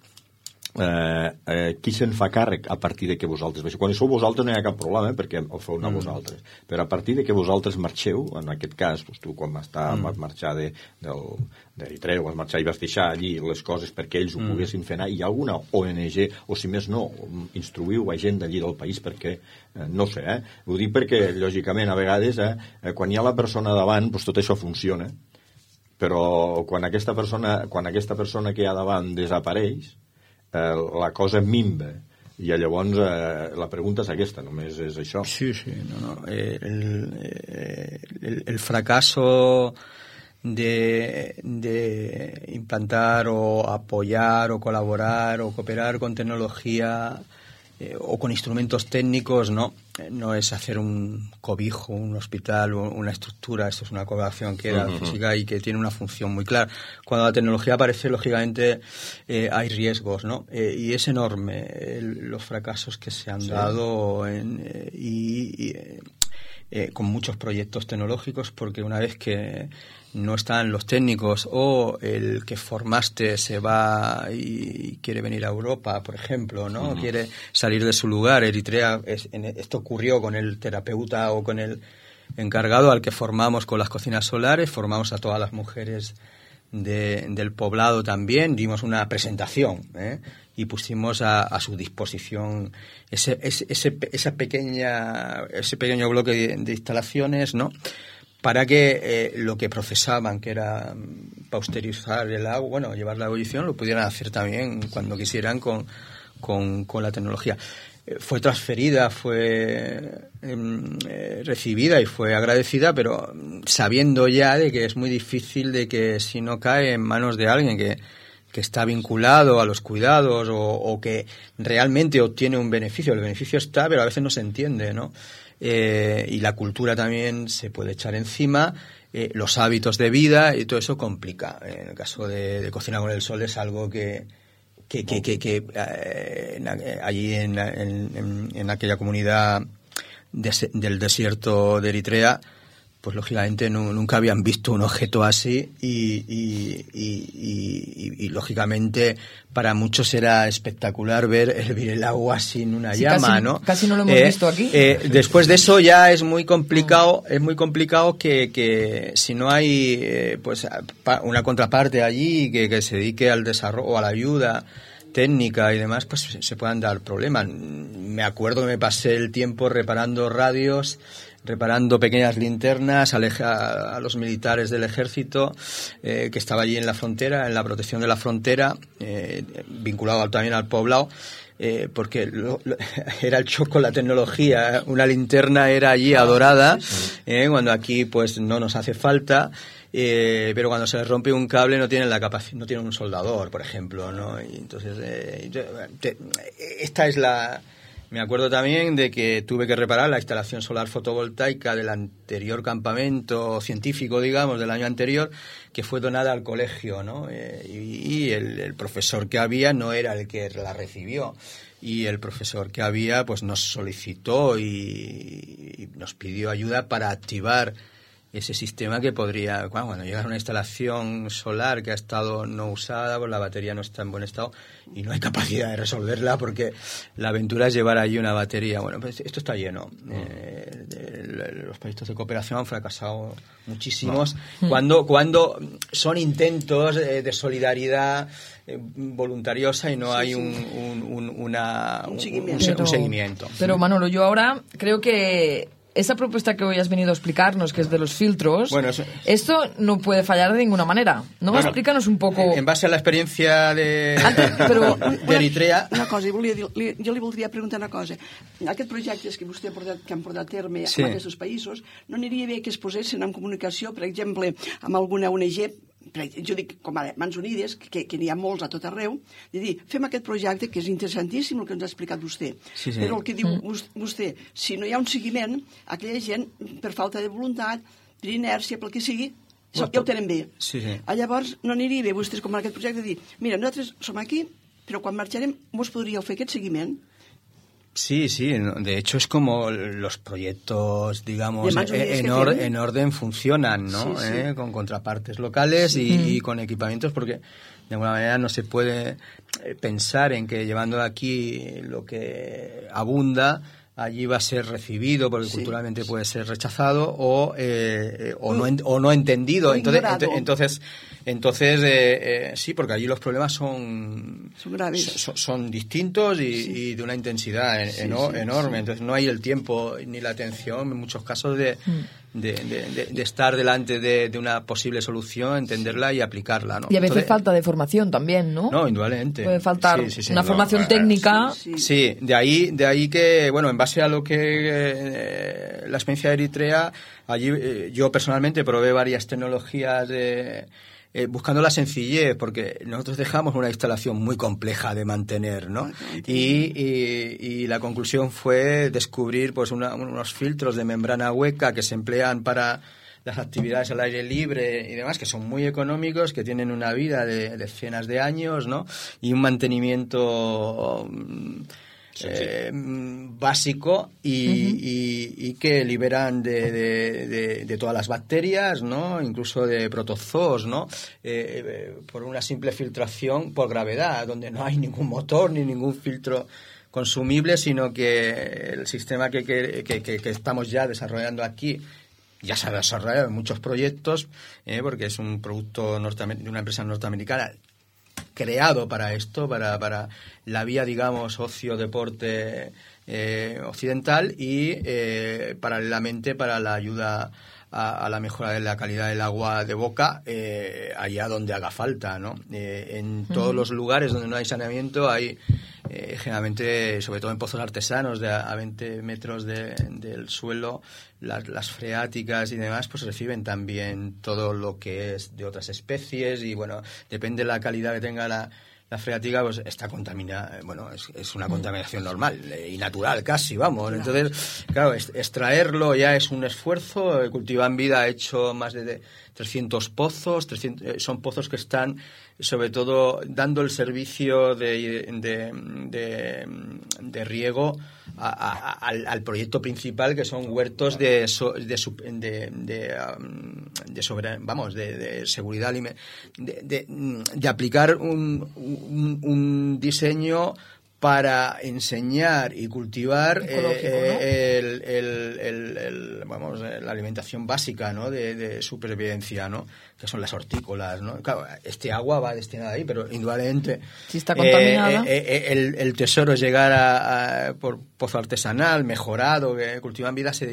qui se'n fa càrrec a partir de que vosaltres baixeu? Quan sou vosaltres no hi ha cap problema, perquè el feu anar vosaltres, però a partir de que vosaltres marxeu, en aquest cas, tu quan vas marxar d'Eritrea, vas marxar i vas deixar allí les coses perquè ells ho poguessin fer anar, hi ha alguna ONG, o si més no, instruïu a gent d'allí del país perquè, no sé, ho dic perquè lògicament a vegades quan hi ha la persona davant, tot això funciona, però quan aquesta persona que hi ha davant desapareix, la cosa minva, i llavors la pregunta és aquesta, només és això. Sí, no. El fracaso de implantar o apoyar o colaborar o cooperar con tecnología o con instrumentos técnicos no es hacer un cobijo, un hospital o una estructura. Esto es una colaboración que era física y que tiene una función muy clara. Cuando la tecnología aparece, lógicamente hay riesgos, ¿no? Y es enorme los fracasos que se han dado con muchos proyectos tecnológicos, porque una vez que no están los técnicos o el que formaste se va y quiere venir a Europa, por ejemplo, ¿no? Quiere salir de su lugar. Eritrea, esto ocurrió con el terapeuta o con el encargado al que formamos con las cocinas solares, formamos a todas las mujeres del poblado también, dimos una presentación, y pusimos a su disposición ese pequeño bloque de instalaciones, ¿no? Para que lo que procesaban, que era pasteurizar el agua, llevar la ebullición, lo pudieran hacer también cuando quisieran con la tecnología. Fue transferida, fue recibida y fue agradecida, pero sabiendo ya de que es muy difícil de que si no cae en manos de alguien que está vinculado a los cuidados o que realmente obtiene un beneficio. El beneficio está, pero a veces no se entiende, ¿no? Y la cultura también se puede echar encima, los hábitos de vida, y todo eso complica. En el caso de Cocina con el Sol es algo que allí en aquella comunidad del desierto de Eritrea, pues lógicamente nunca habían visto un objeto así y lógicamente para muchos era espectacular ver hervir el agua sin una llama, ¿no? Casi no lo hemos visto aquí. Después de eso ya es muy complicado, que si no hay pues una contraparte allí que se dedique al desarrollo o a la ayuda técnica y demás, pues se puedan dar problemas. Me acuerdo que me pasé el tiempo reparando radios, reparando pequeñas linternas a los militares del ejército que estaba allí en la frontera, en la protección de la frontera, vinculado también al poblado, porque era el shock con la tecnología. Una linterna era allí adorada, cuando aquí pues no nos hace falta. Pero cuando se les rompe un cable no tienen la capacidad, no tienen un soldador, por ejemplo, ¿no? Y entonces esta es la. Me acuerdo también de que tuve que reparar la instalación solar fotovoltaica del anterior campamento científico, digamos, del año anterior, que fue donada al colegio, ¿no? Y el profesor que había no era el que la recibió. Y el profesor que había pues nos solicitó y nos pidió ayuda para activar ese sistema que podría, cuando llega a una instalación solar que ha estado no usada, pues la batería no está en buen estado y no hay capacidad de resolverla, porque la aventura es llevar allí una batería. Bueno, pues esto está lleno. Los proyectos de cooperación han fracasado muchísimos cuando son intentos de solidaridad voluntariosa y no hay un seguimiento. Pero Manolo, yo ahora creo que esa propuesta que hoy has venido a explicarnos, que es de los filtros, esto no puede fallar de ninguna manera. Explícanos un poco. En base a la experiencia de Eritrea. Una cosa, jo li voldria preguntar una cosa. Aquests projectes que vostè que han portat a terme en aquests països, no aniria bé que es posessin en comunicació, per exemple, amb alguna ONG, jo dic, com ara, Mans Unides, que n'hi ha molts a tot arreu, de dir, fem aquest projecte, que és interessantíssim el que ens ha explicat vostè, però el que diu vostè, si no hi ha un seguiment, aquella gent, per falta de voluntat, per inèrcia, pel que sigui, ja ho tenen bé. Llavors, no aniria bé vostès, com en aquest projecte, de dir, mira, nosaltres som aquí, però quan marxarem vos podríeu fer aquest seguiment? Sí, de hecho es como los proyectos, digamos, en orden funcionan, ¿no? Con contrapartes locales y con equipamientos, porque de alguna manera no se puede pensar en que llevando aquí lo que abunda allí va a ser recibido, porque culturalmente puede ser rechazado o no entendido. Entonces sí, porque allí los problemas son distintos y de una intensidad enorme. Entonces no hay el tiempo ni la atención en muchos casos de estar delante de una posible solución, entenderla y aplicarla, ¿no? Y a veces falta de formación también, ¿no? No, indudablemente. Puede faltar una formación técnica. Sí, de ahí que, bueno, en base a lo que la experiencia de Eritrea, allí yo personalmente probé varias tecnologías buscando la sencillez, porque nosotros dejamos una instalación muy compleja de mantener, ¿no? Y la conclusión fue descubrir pues unos filtros de membrana hueca que se emplean para las actividades al aire libre y demás, que son muy económicos, que tienen una vida de decenas de años, ¿no? Y un mantenimiento básico y que liberan de todas las bacterias, ¿no? Incluso de protozoos, ¿no? Por una simple filtración por gravedad, donde no hay ningún motor ni ningún filtro consumible, sino que el sistema que estamos ya desarrollando aquí ya se ha desarrollado en muchos proyectos, porque es un producto de una empresa norteamericana creado para esto, para la vía, digamos, ocio-deporte occidental y paralelamente para la ayuda a la mejora de la calidad del agua de boca allá donde haga falta, ¿no? En todos los lugares donde no hay saneamiento hay generalmente, sobre todo en pozos artesanos a 20 metros del suelo, las freáticas y demás pues reciben también todo lo que es de otras especies y bueno, depende de la calidad que tenga la freática, pues está contaminada, bueno, es una contaminación normal y natural casi, vamos. Entonces, claro, extraerlo ya es un esfuerzo. Cultivan Vida ha hecho más de 300 pozos, son pozos que están sobre todo dando el servicio de riego al proyecto principal, que son huertos de seguridad alimentaria, de aplicar un diseño para enseñar y cultivar la alimentación básica, ¿no? de supervivencia, ¿no? Que son las hortícolas, ¿no? Claro, este agua va destinada ahí, pero indudablemente si está contaminada, el tesoro es llegar por pozo artesanal, mejorado, que Cultivan Vida se ha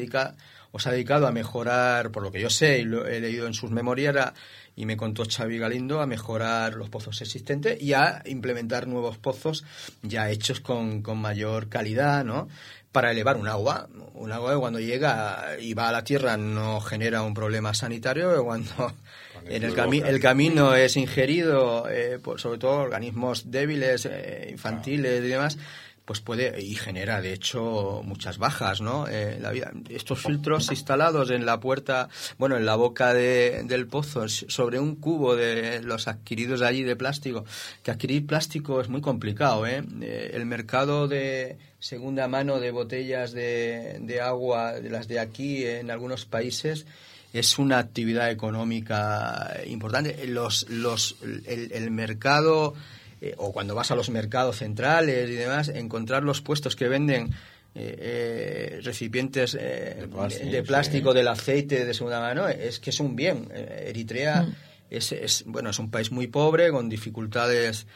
dedicado a mejorar, por lo que yo sé y lo he leído en sus memorias, y me contó Xavi Galindo, a mejorar los pozos existentes y a implementar nuevos pozos ya hechos con mayor calidad, ¿no? Para elevar un agua que cuando llega y va a la tierra no genera un problema sanitario, que cuando el camino es ingerido por sobre todo organismos débiles, infantiles y demás, pues puede y genera de hecho muchas bajas, ¿no? La vida. Estos filtros instalados en la puerta, en la boca del pozo, sobre un cubo de los adquiridos allí de plástico, que adquirir plástico es muy complicado, el mercado de segunda mano de botellas de agua, de las de aquí en algunos países, es una actividad económica importante. El mercado, o cuando vas a los mercados centrales y demás, encontrar los puestos que venden recipientes de plástico, del aceite de segunda mano, es que es un bien. Eritrea es un país muy pobre, con dificultades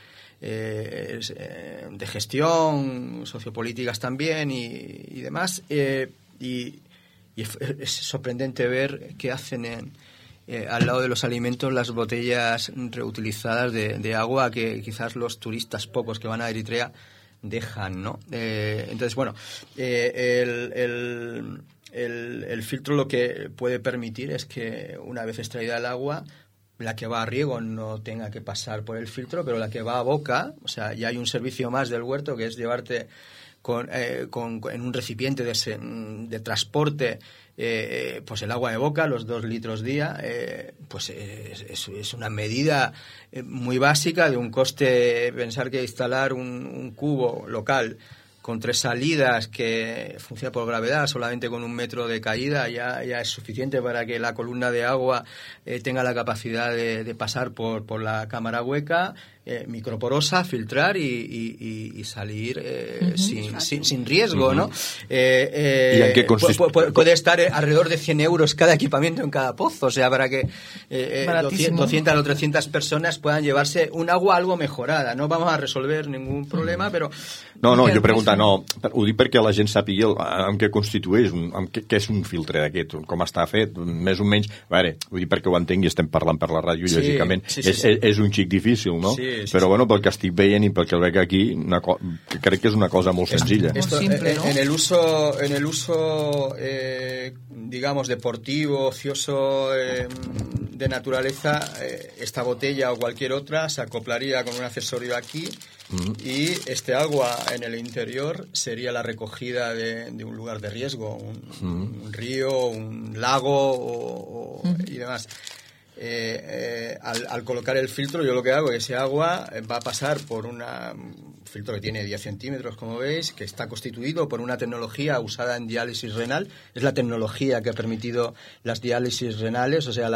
de gestión, sociopolíticas también y demás, y es sorprendente ver que hacen al lado de los alimentos las botellas reutilizadas de agua que quizás los turistas pocos que van a Eritrea dejan, ¿no? Entonces, el filtro lo que puede permitir es que una vez extraída el agua, la que va a riego no tenga que pasar por el filtro, pero la que va a boca, o sea, ya hay un servicio más del huerto, que es llevarte en un recipiente de transporte pues el agua de boca, los 2 litros día, pues es una medida muy básica de un coste. Pensar que instalar un cubo local con 3 salidas que funciona por gravedad, solamente con 1 metro de caída, ya es suficiente para que la columna de agua tenga la capacidad de pasar por la cámara hueca, microporosa, filtrar y salir sin riesgo, ¿no? ¿Y en qué consiste? Puede estar alrededor de 100 euros cada equipamiento en cada pozo, o sea, para que 200 o 300 personas puedan llevarse un agua algo mejorada. No vamos a resolver ningún problema, però... No, jo pregunto, ho dic perquè la gent sàpiga en què constitueix, què és un filtre d'aquest, com està fet, més o menys, vull dir perquè ho entenc i estem parlant per la ràdio, lògicament, és un xic difícil, no? Però pel que estic veient i pel que veig aquí, crec que és una cosa molt senzilla. Esto, simple, ¿no? En el uso digamos, deportivo, ocioso, de naturaleza, esta botella o cualquier otra se acoplaría con un accesorio aquí, y este agua en el interior sería la recogida de un lugar de riesgo, un río, un lago y demás. Al colocar el filtro, yo lo que hago es ese agua va a pasar por un filtro que tiene 10 centímetros, como veis, que está constituido por una tecnología usada en diálisis renal. Es la tecnología que ha permitido las diálisis renales, o sea,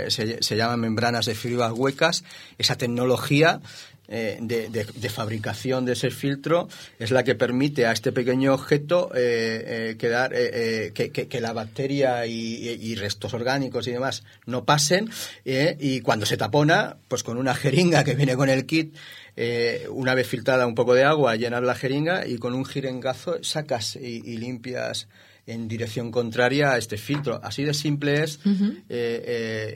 se llaman membranas de fibras huecas. Esa tecnología de fabricación de ese filtro es la que permite a este pequeño objeto que la bacteria y restos orgánicos y demás no pasen, y cuando se tapona, pues con una jeringa que viene con el kit, una vez filtrada un poco de agua, llenas la jeringa y con un jeringazo sacas y limpias en dirección contraria a este filtro. Así de simple es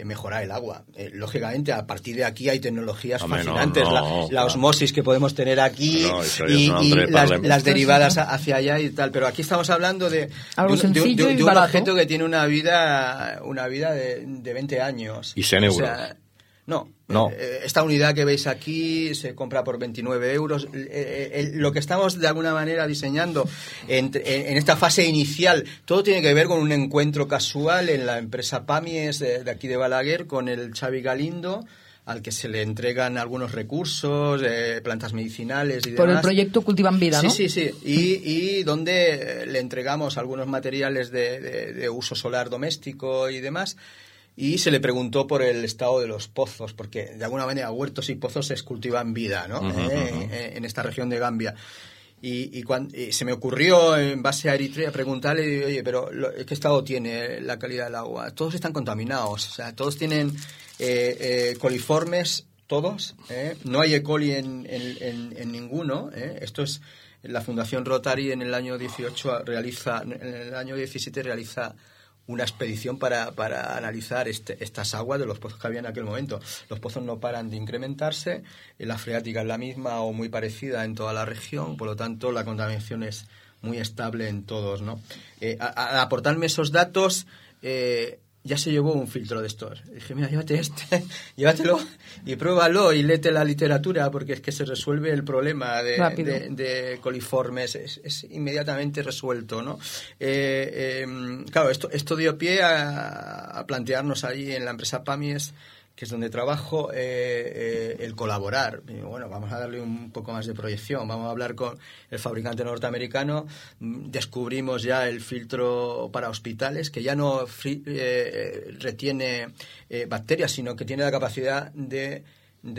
mejorar el agua. Lógicamente, a partir de aquí hay tecnologías fascinantes. La osmosis que podemos tener aquí y las derivadas hacia allá y tal. Pero aquí estamos hablando de un objeto que tiene una vida de 20 años. Y 100 euros. O sea, no. Esta unidad que veis aquí se compra por 29 euros. Lo que estamos de alguna manera diseñando en esta fase inicial, todo tiene que ver con un encuentro casual en la empresa Pamies de aquí de Balaguer con el Xavi Galindo, al que se le entregan algunos recursos, plantas medicinales y demás. Por el proyecto Cultivan Vida, ¿no? Sí. Y donde le entregamos algunos materiales de uso solar doméstico y demás. Y se le preguntó por el estado de los pozos, porque de alguna manera huertos y pozos es Cultivan Vida, ¿no? En esta región de Gambia. Y se me ocurrió, en base a Eritrea, preguntarle, oye, pero ¿qué estado tiene la calidad del agua? Todos están contaminados, o sea, todos tienen coliformes, todos, no hay E. coli en ninguno, Esto es, la Fundación Rotary en el año 17 realiza una expedición para analizar estas aguas de los pozos que había en aquel momento. Los pozos no paran de incrementarse, la freática es la misma o muy parecida en toda la región, por lo tanto la contaminación es muy estable en todos, ¿no? Al aportarme esos datos, ya se llevó un filtro de estos. Dije, mira, llévatelo y pruébalo y léete la literatura, porque es que se resuelve el problema de coliformes, es inmediatamente resuelto, ¿no? Claro, esto dio pie a plantearnos ahí en la empresa PAMIES, que es donde trabajo, el colaborar. Y bueno, vamos a darle un poco más de proyección, vamos a hablar con el fabricante norteamericano, descubrimos ya el filtro para hospitales, que ya no retiene bacterias, sino que tiene la capacidad de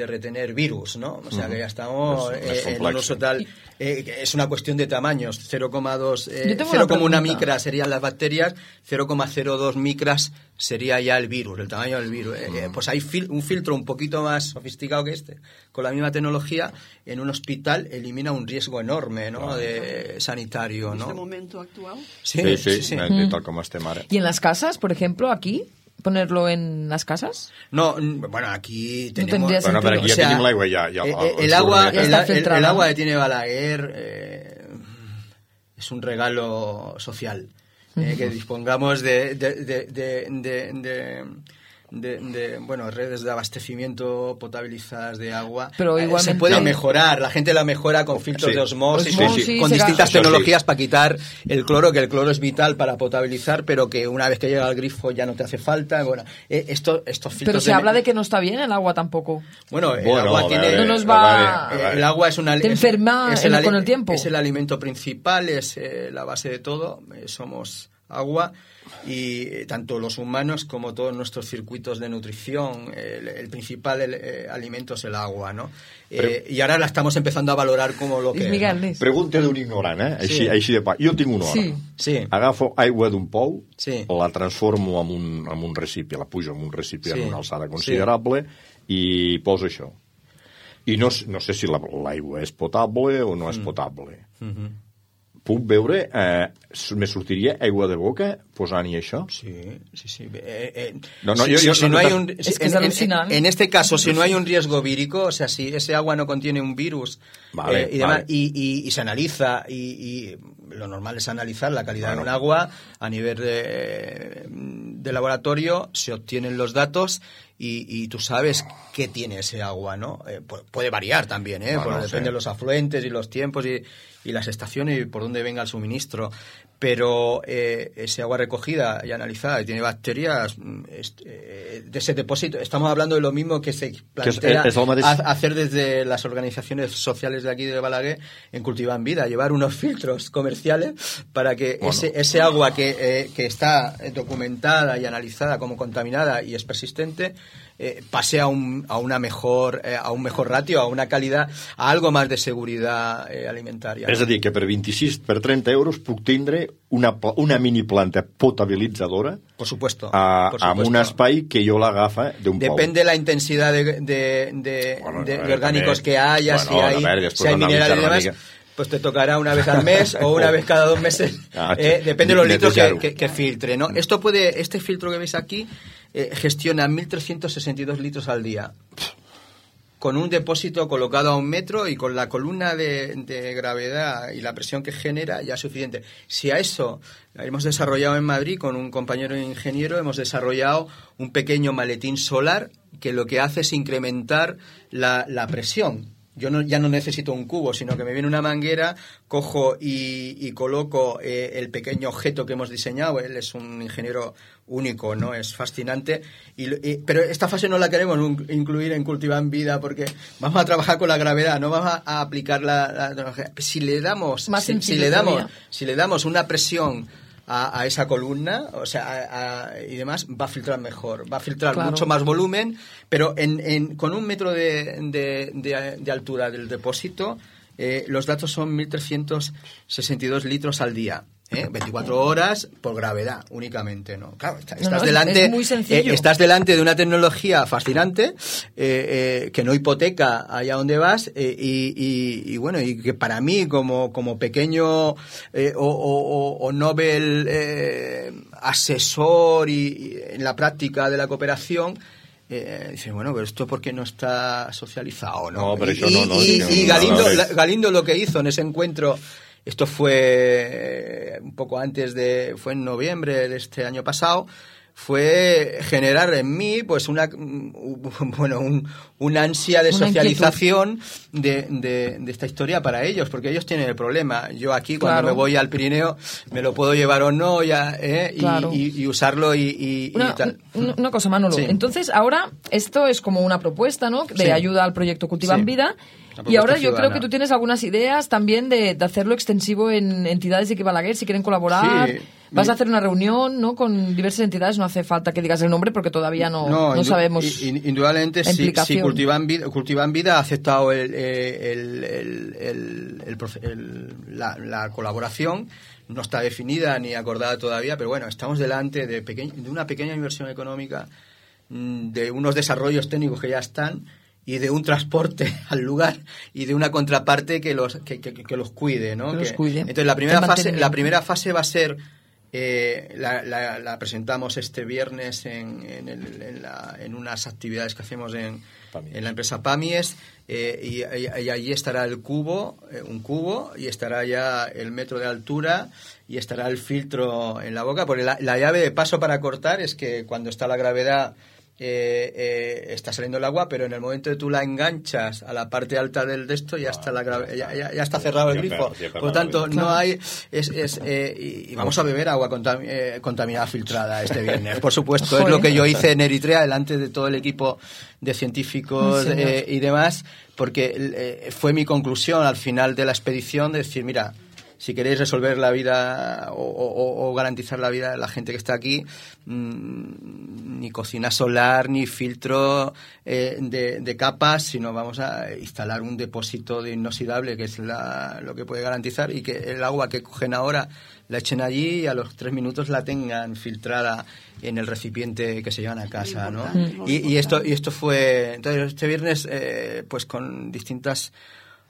retener virus, ¿no? O sea, que ya estamos en un uso tal... es una cuestión de tamaños. 0,1 micra serían las bacterias, 0,02 micras sería ya el virus, el tamaño del virus. Pues hay un filtro un poquito más sofisticado que este, con la misma tecnología, en un hospital elimina un riesgo enorme, ¿no? De sanitario, ¿no? ¿En este momento actual? Sí. Tal como estem ara. ¿Y en las casas, por ejemplo, aquí? ¿Ponerlo en las casas? No, bueno, aquí tenemos... No tendría sentido. Bueno, pero aquí ya tenim l'aigua, el agua que tiene Balaguer es un regalo social. Que dispongamos de redes de abastecimiento potabilizadas de agua. Pero igualmente se puede mejorar, la gente la mejora con filtros de osmosis, con distintas tecnologías para quitar el cloro, que el cloro es vital para potabilizar, pero que una vez que llega al grifo ya no te hace falta. Bueno, estos filtros... Pero se habla de que no está bien el agua tampoco. Bueno, el agua tiene... No nos va... el agua es una... Te enferma con el tiempo. Es el alimento principal, es la base de todo. Somos agua, y tanto los humanos como todos nuestros circuitos de nutrición, el principal alimento es el agua, ¿no? I ara l'estamos empezando a valorar como lo que... Pregunta d'un ignorant, així de pa. Jo tinc una hora. Sí. Agafo aigua d'un pou, la transformo en un recipient, la pujo en un recipient a una alçada considerable i poso això. I no sé si l'aigua és potable o no és potable. Puc veure, me sortiria aigua de boca posant-hi això? Sí. Es que es alucinante. En este caso, si no hay un riesgo vírico, o sea, si ese agua no contiene un virus y se analiza, y lo normal es analizar la calidad de un agua a nivel de laboratorio, se obtienen los datos y tú sabes qué tiene ese agua, ¿no? Puede variar también, depende de los afluentes y los tiempos y las estaciones y por dónde venga el suministro, pero ese agua recogida y analizada y tiene bacterias de ese depósito, estamos hablando de lo mismo que se plantea hacer desde las organizaciones sociales de aquí de Balaguer en Cultivan Vida, llevar unos filtros comerciales para que ese agua que está documentada y analizada como contaminada y es persistente pase a un mejor ratio, a una calidad, a algo más de seguridad alimentaria. És a dir, que per 30 euros puc tindre una mini planta potabilitzadora, por supuesto, amb un espai que jo l'agafa d'un pou. Depende de la intensidad de orgánicos que haya, si hay minerales y demás, pues te tocará una vez al mes o una vez cada 2 meses, depende de los litros que filtre, ¿no? Este filtro que veis aquí gestiona 1.362 litros al día, con un depósito colocado a 1 metro y con la columna de gravedad y la presión que genera ya es suficiente. Si a eso hemos desarrollado en Madrid con un compañero ingeniero, hemos desarrollado un pequeño maletín solar que lo que hace es incrementar la presión. Yo ya no necesito un cubo, sino que me viene una manguera, cojo y coloco el pequeño objeto que hemos diseñado. Él es un ingeniero único, ¿no? Es fascinante. Pero esta fase no la queremos incluir en Cultivan Vida porque vamos a trabajar con la gravedad, no vamos a aplicar la tecnología. Si le damos una presión a esa columna, o sea, y demás, va a filtrar mejor, va a filtrar mucho más volumen, pero con 1 metro de altura del depósito los datos son 1.362 litros al día. 24 horas por gravedad únicamente, ¿no? Claro, es muy sencillo. Estás delante de una tecnología fascinante que no hipoteca allá donde vas y bueno, y que para mí como pequeño o Nobel asesor y en la práctica de la cooperación, dice, bueno, pero esto ¿por qué no está socializado? No, pero eso y Galindo lo que hizo en ese encuentro, esto fue un poco fue en noviembre de este año pasado, fue generar en mí pues una ansia de socialización de esta historia para ellos, porque ellos tienen el problema. Yo aquí cuando me voy al Pirineo me lo puedo llevar o no y usarlo y tal. Una cosa, Manolo. Sí. Entonces ahora esto es como una propuesta, ¿no? De ayuda al proyecto Cultivan Vida. Y ahora yo creo que tú tienes algunas ideas también de hacerlo extensivo en entidades de aquí Balaguer, si quieren colaborar. Sí. Vas a hacer una reunión, ¿no?, con diversas entidades. No hace falta que digas el nombre porque todavía no sabemos. Indudablemente, si Cultivan Vida ha aceptado la colaboración, no está definida ni acordada todavía, pero bueno, estamos delante de una pequeña inversión económica, de unos desarrollos técnicos que ya están, y de un transporte al lugar y de una contraparte que los cuide, ¿no? Cuide. Entonces la primera fase va a ser la presentamos este viernes en unas actividades que hacemos en la empresa Pamies, y allí estará un cubo, y estará ya el metro de altura y estará el filtro en la boca, porque la llave de paso para cortar es que cuando está la gravedad está saliendo el agua, pero en el momento que tú la enganchas a la parte alta del desto ya está ya está cerrado el grifo. Por lo tanto, no hay y vamos a beber agua contaminada filtrada este viernes. Por supuesto, es lo que yo hice en Eritrea delante de todo el equipo de científicos y demás, porque fue mi conclusión al final de la expedición, de decir, mira, si queréis resolver la vida o garantizar la vida de la gente que está aquí, ni cocina solar, ni filtro de capas, sino vamos a instalar un depósito de inoxidable, que es lo que puede garantizar, y que el agua que cogen ahora la echen allí y a los 3 minutos la tengan filtrada en el recipiente que se llevan a casa, ¿no? Y esto fue... Entonces, este viernes, pues con distintas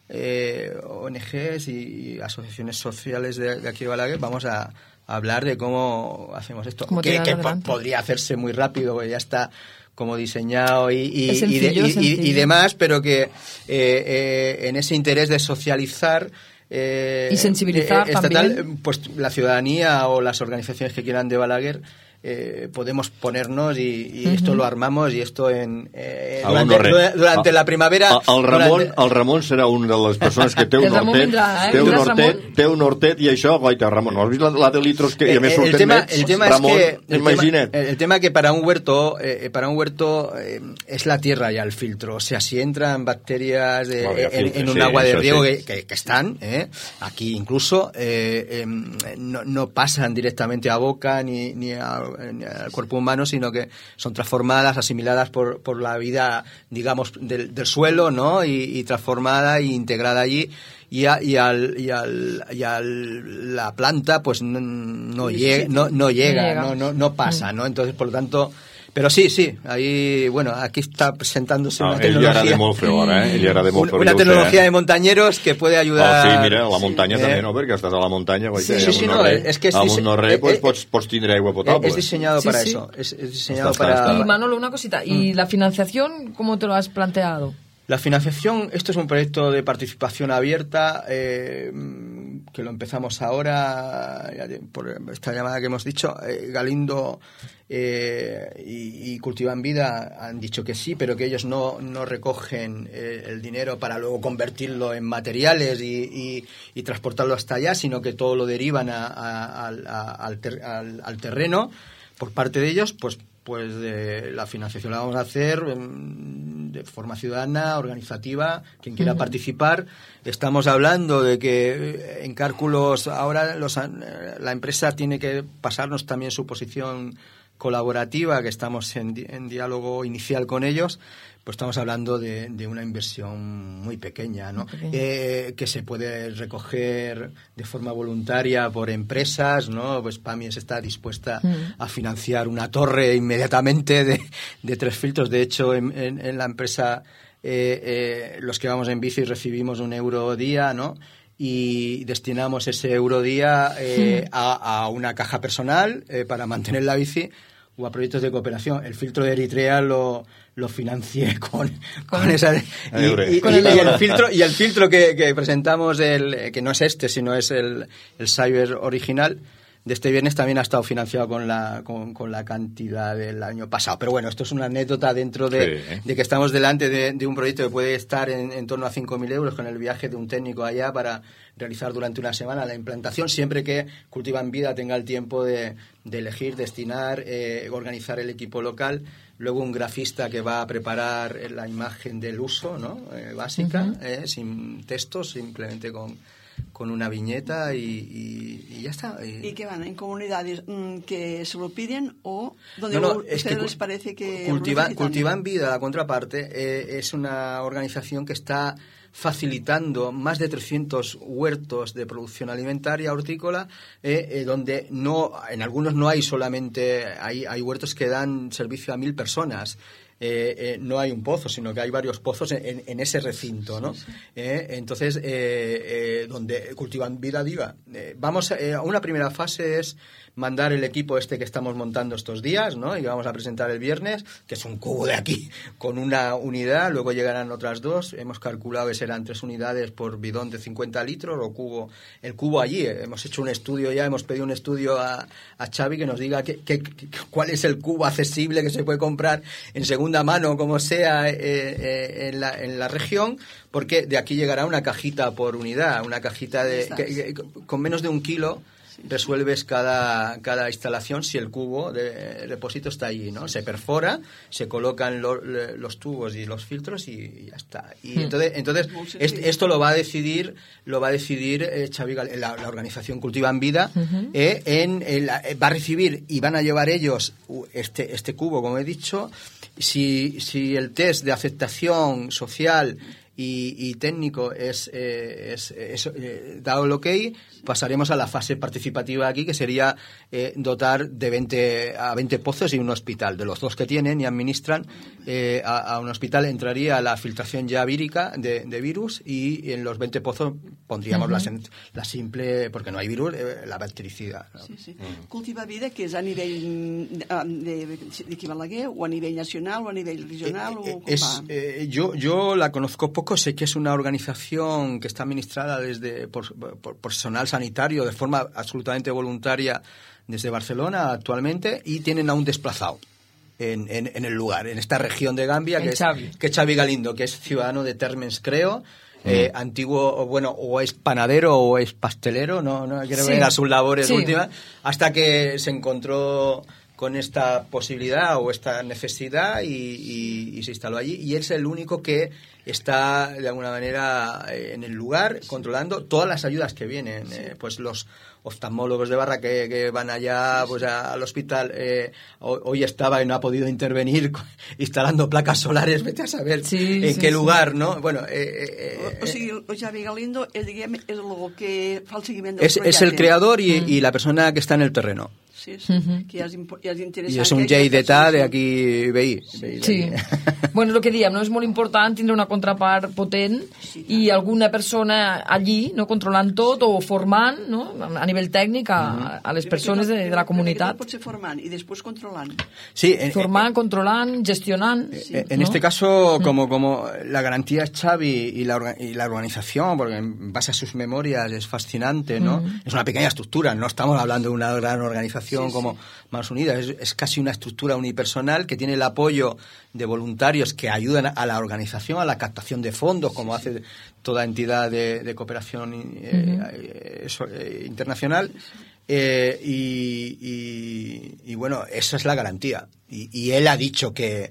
ONGs y asociaciones sociales de aquí de Balaguer, vamos a hablar de cómo hacemos esto, que podría hacerse muy rápido, porque ya está como diseñado y demás, pero que en ese interés de socializar y sensibilizar también, pues la ciudadanía o las organizaciones que quieran de Balaguer, podemos ponernos y esto lo armamos, y esto durante la primavera. El Ramon serà una de les persones que té un hortet, té un hortet, i això, goita, Ramon, ¿no has vist la de litros que a més surten nets? El tema que para un huerto es la tierra ya el filtro, o sea, si entran bacterias en un agua de riego que están aquí incluso, no pasan directamente a boca ni al cuerpo humano, sino que son transformadas, asimiladas por la vida, digamos, del suelo, ¿no? Y transformada e integrada allí, y la planta pues no llega, no pasa, ¿no? Entonces, por lo tanto, pero sí, ahí, bueno, aquí está presentándose una tecnología. Una tecnología de montañeros que puede ayudar. Sí, mira, la muntanya també, no? Perquè estàs a la muntanya, amb un no-re, pots tindre aigua potable. Es diseñado para eso. Es diseñado para... Y Manolo, una cosita, ¿y la financiación cómo te lo has planteado? La financiación, esto es un proyecto de participación abierta, que lo empezamos ahora, por esta llamada que hemos dicho. Galindo y Cultivan Vida han dicho que sí, pero que ellos no recogen el dinero para luego convertirlo en materiales y transportarlo hasta allá, sino que todo lo derivan al terreno por parte de ellos. Pues la financiación la vamos a hacer de forma ciudadana, organizativa, quien quiera participar. Estamos hablando de que en cálculos ahora la empresa tiene que pasarnos también su posición colaborativa, que estamos en diálogo inicial con ellos, pues estamos hablando de una inversión muy pequeña, ¿no? Que se puede recoger de forma voluntaria por empresas, ¿no? Pues PAMIES está dispuesta a financiar una torre inmediatamente de 3 filtros. De hecho, en la empresa los que vamos en bici recibimos €1 día, ¿no? Y destinamos ese euro día a una caja personal para mantener la bici o a proyectos de cooperación. El filtro de Eritrea lo financié con esa y el filtro que presentamos, que no es este, sino es el Cyber original de este viernes, también ha estado financiado con la cantidad del año pasado. Pero bueno, esto es una anécdota dentro de que estamos delante de un proyecto que puede estar en torno a 5.000 euros, con el viaje de un técnico allá para realizar durante una semana la implantación, siempre que Cultivan Vida tenga el tiempo de elegir, destinar, organizar el equipo local. Luego un grafista que va a preparar la imagen del uso, ¿no? Básica, sin textos, simplemente con una viñeta y ya está. ¿Y qué van? ¿En comunidades que se lo piden o donde es que les parece que Cultivan Vida, la contraparte, es una organización que está facilitando más de 300 huertos de producción alimentaria hortícola, donde en algunos no hay solamente, hay huertos que dan servicio a 1.000 personas. No hay un pozo, sino que hay varios pozos en ese recinto, ¿no? Entonces, donde Cultivan Vida Diva. Vamos a una primera fase es mandar el equipo que estamos montando estos días, ¿no? Y vamos a presentar el viernes, que es un cubo de aquí con una unidad. Luego llegarán otras 2. Hemos calculado que serán 3 unidades por bidón de 50 litros o el cubo allí. Hemos hecho un estudio ya, hemos pedido un estudio a Xavi que nos diga cuál es el cubo accesible que se puede comprar en segunda mano, como sea, en la región, porque de aquí llegará una cajita por unidad, una cajita con menos de 1 kilo. Resuelves cada instalación si el cubo de depósito está allí, ¿no? Se perfora, se colocan los tubos y los filtros y ya está. Y entonces esto lo va a decidir Xavi, la organización Cultivan Vida, va a recibir y van a llevar ellos este cubo, como he dicho. Si el test de aceptación social y técnico es dado el ok, pasaremos a la fase participativa aquí, que sería dotar de 20 pozos y un hospital. De los 2 que tienen y administran, a un hospital entraría la filtración ya vírica de virus, y en los 20 pozos pondríamos la simple, porque no hay virus, la bactericida, ¿no? Sí. Cultiva Vida, que és a nivell d'aquí Balaguer, o a nivell nacional, o a nivell regional, o com va? Yo la conozco poco. Sé que es una organización que está administrada por personal sanitario de forma absolutamente voluntaria desde Barcelona actualmente, y tienen a un desplazado en el lugar, en esta región de Gambia, que es Xavi Galindo, que es ciudadano de Térmens, creo. Antiguo, o es panadero o es pastelero, no quiero ver a sus labores últimas, hasta que se encontró con esta posibilidad o esta necesidad y se instaló allí, y es el único que está de alguna manera en el lugar controlando todas las ayudas que vienen. Pues los oftalmólogos de Barra que van allá pues al hospital, hoy estaba y no ha podido intervenir instalando placas solares, vete a saber en qué lugar, ¿no? Bueno, o sigui, el Xavi Galindo és el que fa el seguiment del projecte. Es el creador y la persona que está en el terreno. Sí, que ja és interessant. I és un llei d'etat d'aquí veí. Sí. Bueno, el que diem, no? És molt important tindre una contrapart potent i alguna persona allí, no, controlant tot o formant, no, a nivell tècnic a les persones de la comunitat. Pot ser formant i després controlant. Sí, formant, controlant, gestionant. En este caso, como la garantía es Xavi y la organización, porque en base a sus memorias es fascinante, ¿no? Es una pequeña estructura, no estamos hablando de una gran organización como Manos Unidas, es casi una estructura unipersonal que tiene el apoyo de voluntarios que ayudan a la organización, a la captación de fondos, como hace toda entidad de cooperación internacional. Y bueno, esa es la garantía. Y él ha dicho que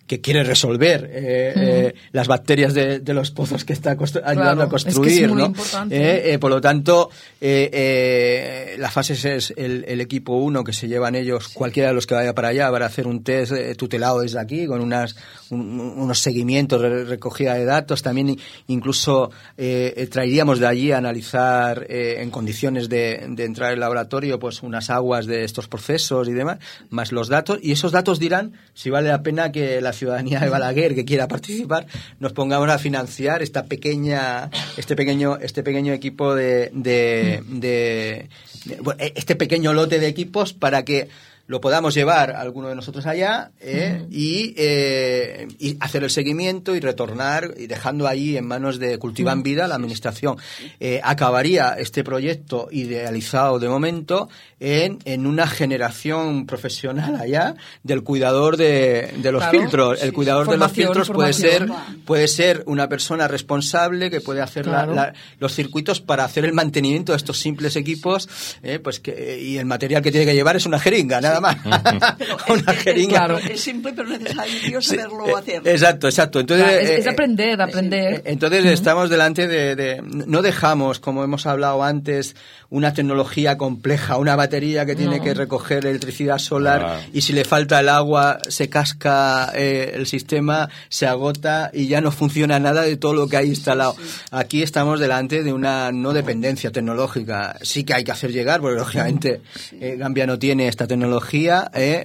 que quiere resolver las bacterias de los pozos que está ayudando a construir, es que es muy ¿no? importante. Por lo tanto, la fase es el equipo 1 que se llevan ellos, cualquiera de los que vaya para allá, para hacer un test tutelado desde aquí, con unos seguimientos de recogida de datos. También incluso traeríamos de allí a analizar en condiciones de entrar al laboratorio pues unas aguas de estos procesos y demás, más los datos, y esos datos dirán si vale la pena que la ciudadanía de Balaguer que quiera participar nos pongamos a financiar este pequeño equipo este pequeño lote de equipos para que lo podamos llevar a alguno de nosotros allá y hacer el seguimiento y retornar, y dejando ahí en manos de Cultivan Vida, la administración. Acabaría este proyecto idealizado de momento en una generación profesional allá del cuidador de los filtros. El cuidador de los filtros puede ser una persona responsable que puede hacer los circuitos para hacer el mantenimiento de estos simples equipos, y el material que tiene que llevar es una jeringa, nada más. Una jeringa. Claro. Es simple pero necesario saberlo hacer. Exacto. Entonces, es aprender. Entonces estamos delante de... No dejamos, como hemos hablado antes, una tecnología compleja, una batería que tiene que recoger electricidad solar y si le falta el agua se casca el sistema, se agota y ya no funciona nada de todo lo que hay instalado. Aquí estamos delante de una no dependencia tecnológica. Sí que hay que hacer llegar, porque lógicamente Gambia no tiene esta tecnología,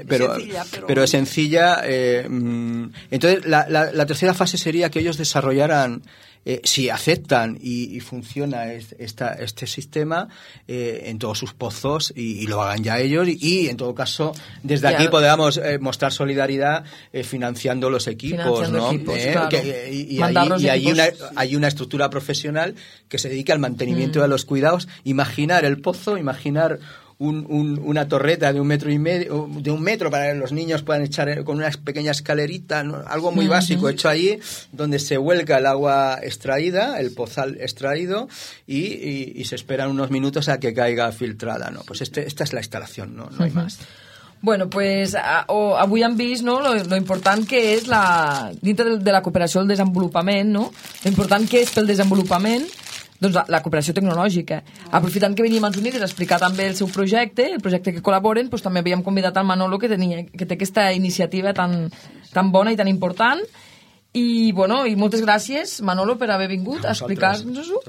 pero es sencilla. Entonces la tercera fase sería que ellos desarrollaran, si aceptan y funciona este sistema en todos sus pozos y lo hagan ya ellos y en todo caso desde aquí podamos mostrar solidaridad financiando los equipos, ¿no? Claro. Hay una estructura profesional que se dedica al mantenimiento de los cuidados. Imaginar el pozo, imaginar una torreta de 1,5 metros, de 1 metro para que los niños puedan echar con una pequeña escalerita, ¿no? Algo muy básico hecho allí, donde se vuelca el agua extraída, el pozal extraído, y se esperan unos minutos a que caiga filtrada, ¿no? Pues esta es la instalación, no hay más. Bueno, pues avui hem vist, no, lo important que és dintre de la cooperació al desenvolupament, no? Lo important que és pel desenvolupament doncs la cooperació tecnològica. Aprofitant que veníem als Units a explicar també el seu projecte, el projecte que col·laboren, doncs també havíem convidat al Manolo que té aquesta iniciativa tan bona i tan important. I moltes gràcies, Manolo, per haver vingut a explicar-nos-ho.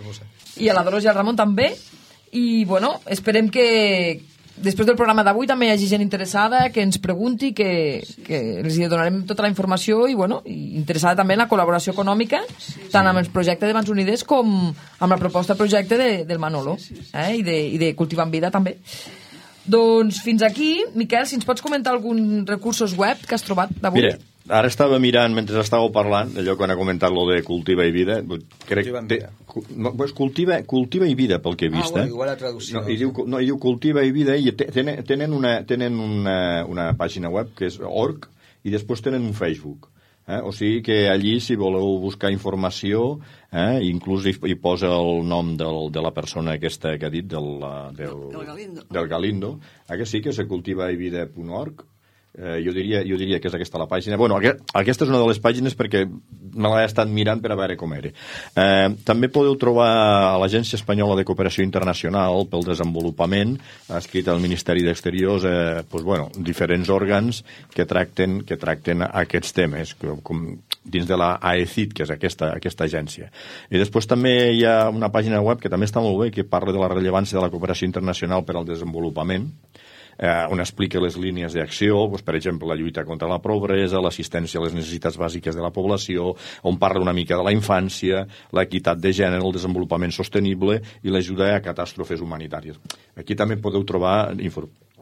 I a la Dolors i al Ramon també. I esperem que després del programa d'avui també hi hagi gent interessada que ens pregunti, que els donarem tota la informació i interessada també en la col·laboració econòmica, tant amb el projecte de Mans Unides com amb la proposta projecte del Manolo i de Cultivan Vida també. Doncs fins aquí. Miquel, si ens pots comentar alguns recursos web que has trobat d'avui. Mira, ara estava mirant, mentre estàveu parlant, allò quan ha comentat lo de Cultiva i Vida, crec que Cultiva i Vida, pel que he vist. Igual la traducció. Hi diu Cultiva i Vida, i tenen una pàgina web que és org, i després tenen un Facebook. O sigui que allí, si voleu buscar informació, inclús hi posa el nom de la persona aquesta que ha dit, del Galindo, que sí, que és cultivaivida.org. Jo diria que és aquesta la pàgina. Bueno, aquesta és una de les pàgines perquè me l'he estat mirant per a veure com era. També podeu trobar a l'Agència Espanyola de Cooperació Internacional pel Desenvolupament, escrit al Ministeri d'Exteriors, diferents òrgans que tracten aquests temes, com dins de la AECID, que és aquesta agència. I després també hi ha una pàgina web que també està molt bé, que parla de la rellevància de la cooperació internacional per al desenvolupament, on explica les línies d'acció, per exemple, la lluita contra la pobresa, l'assistència a les necessitats bàsiques de la població, on parla una mica de la infància, l'equitat de gènere, el desenvolupament sostenible i l'ajuda a catàstrofes humanitàries. Aquí també podeu trobar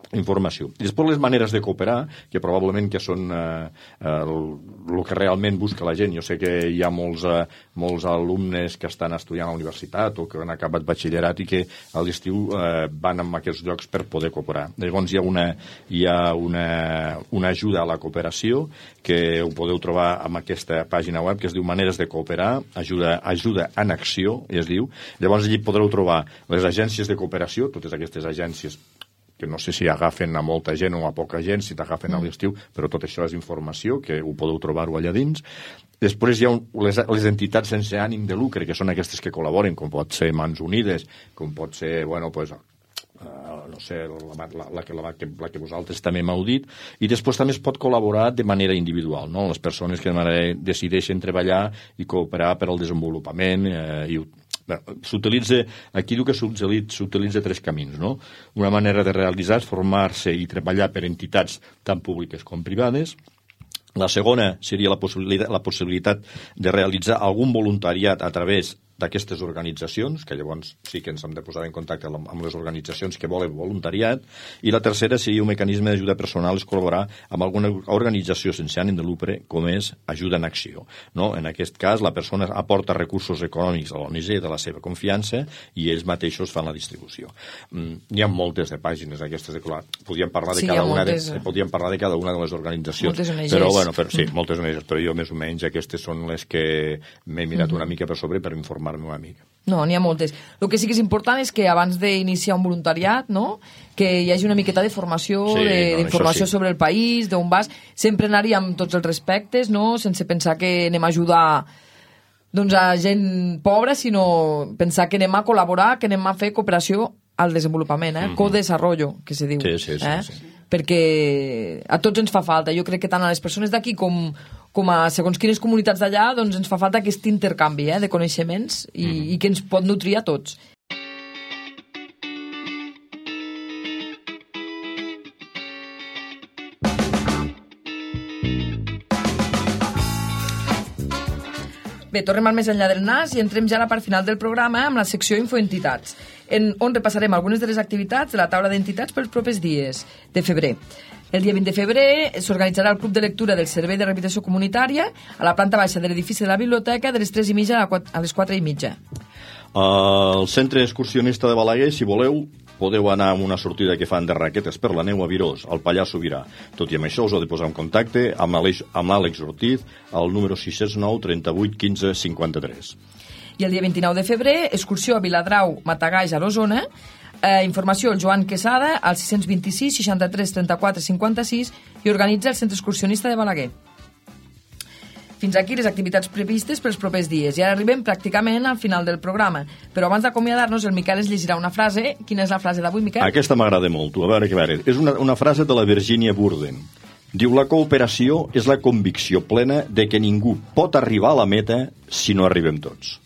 informació. I després les maneres de cooperar, que probablement que són el que realment busca la gent. Jo sé que hi ha molts alumnes que estan estudiant a la universitat o que han acabat batxillerat i que a l'estiu van a aquests llocs per poder cooperar. Llavors hi ha una ajuda a la cooperació que ho podeu trobar en aquesta pàgina web que es diu Maneres de Cooperar, ajuda en acció, es diu. Llavors allí podreu trobar les agències de cooperació, totes aquestes agències que no sé si agafen a molta gent o a poca gent, si t'agafen a l'estiu, però tot això és informació, que ho podeu trobar-ho allà dins. Després hi ha les entitats sense ànim de lucre, que són aquestes que col·laboren, com pot ser Mans Unides, com pot ser, bueno, pues, no sé, la que vosaltres també m'heu dit, i després també es pot col·laborar de manera individual, no? Les persones que decideixen treballar i cooperar per al desenvolupament s'utilitza, aquí diu que s'utilitza 3 camins, no? Una manera de realitzar és formar-se i treballar per entitats tant públiques com privades. La segona seria la possibilitat de realitzar algun voluntariat a través d'aquestes organitzacions, que llavors sí que ens hem de posar en contacte amb les organitzacions que volen voluntariat, i la tercera seria un mecanisme d'ajuda personal, és col·laborar amb alguna organització sense ànim de lucre, com és Ajuda en Acció. No? En aquest cas, la persona aporta recursos econòmics a l'ONG de la seva confiança i ells mateixos fan la distribució. N'hi ha moltes de pàgines aquestes, podíem parlar de cada una de les organitzacions. Però, bueno, sí, moltes ONGs, però jo més o menys aquestes són les que m'he mirat una mica per sobre per informar una mica. No, n'hi ha moltes. El que sí que és important és que abans d'iniciar un voluntariat, no?, que hi hagi una miqueta de formació, d'informació sobre el país, d'on vas, sempre anar-hi amb tots els respectes, no?, sense pensar que anem a ajudar a gent pobra, sinó pensar que anem a col·laborar, que anem a fer cooperació al desenvolupament, co-desarrollo, que se diu. Sí. Perquè a tots ens fa falta. Jo crec que tant a les persones d'aquí com a segons quines comunitats d'allà, doncs ens fa falta aquest intercanvi de coneixements i que ens pot nutrir a tots. Bé, tornem al més enllà del nas i entrem ja a la part final del programa amb la secció Infoentitats, on repassarem algunes de les activitats de la taula d'entitats pels propers dies de febrer. El dia 20 de febrer s'organitzarà el Club de Lectura del Servei de Rehabilitació Comunitària a la planta baixa de l'edifici de la biblioteca de les 3:30 a les 4:30. Al centre excursionista de Balaguer, si voleu, podeu anar amb una sortida que fan de raquetes per la neu a Virós, al Pallars Sobirà. Tot i amb això us heu de posar en contacte amb l'Àlex Ortiz al número 609 38 15 53. I el dia 29 de febrer, excursió a Viladrau, Matagalls, a l'Osona. Informació al Joan Quesada al 626 63 34 56 i organitza el Centre Excursionista de Balaguer. Fins aquí les activitats previstes pels propers dies. I ara arribem pràcticament al final del programa. Però abans d'acomiadar-nos, el Miquel ens llegirà una frase. Quina és la frase d'avui, Miquel? Aquesta m'agrada molt. A veure. És una frase de la Virginia Burden. Diu, la cooperació és la convicció plena de que ningú pot arribar a la meta si no arribem tots.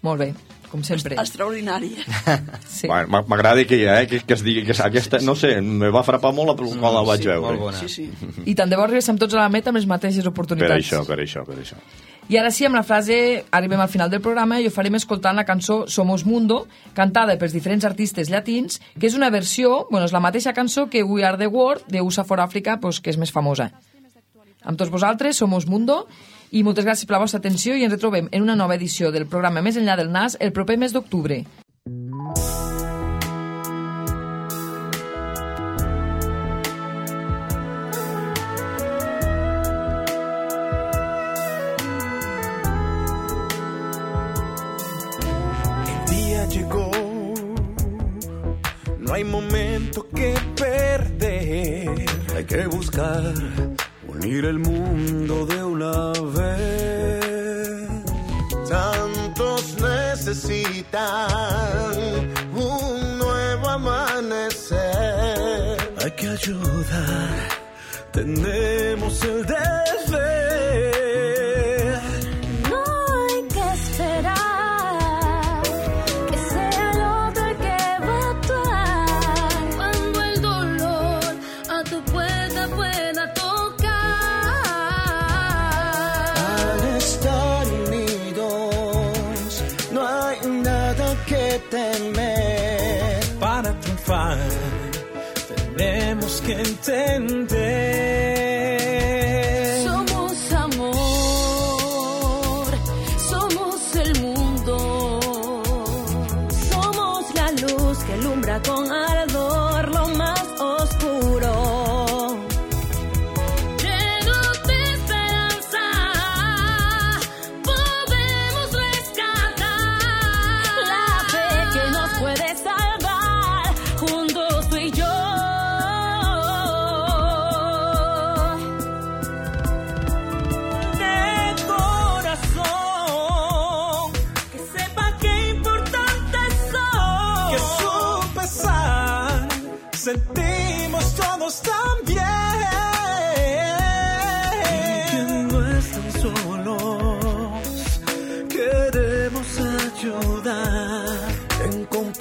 Molt bé, com sempre. Extraordinari. Sí. M'agrada que es digui que aquesta, no sé, me va frapar molt quan la vaig veure. Sí. I tant de bo arribem tots a la meta amb les mateixes oportunitats. Per això. I ara sí, amb la frase arribem al final del programa i ho farem escoltant la cançó Somos Mundo, cantada pels diferents artistes llatins, que és una versió, és la mateixa cançó que We Are The World, de USA for Africa, que és més famosa. Amb tots vosaltres, Somos Mundo, i moltes gràcies per la vostra atenció i ens retrobem en una nova edició del programa Més enllà del nas el proper mes d'octubre. El día llegó, no hay momento que perder, hay que buscar unir el mundo de una vez. Tantos necesitan un nuevo amanecer. Hay que ayudar, tenemos el deber. No hay que esperar que sea el otro el que va a actuar. Cuando el dolor a tu puerta pueda tocar. Temer. Para triunfar tenemos que entender. Somos amor, somos el mundo, somos la luz que alumbra con ardor lo más oscuro. Llenos de esperanza, podemos rescatar la fe que nos puede salvar. Juntos tú y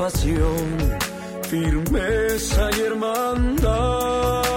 pasión, firmeza y hermandad.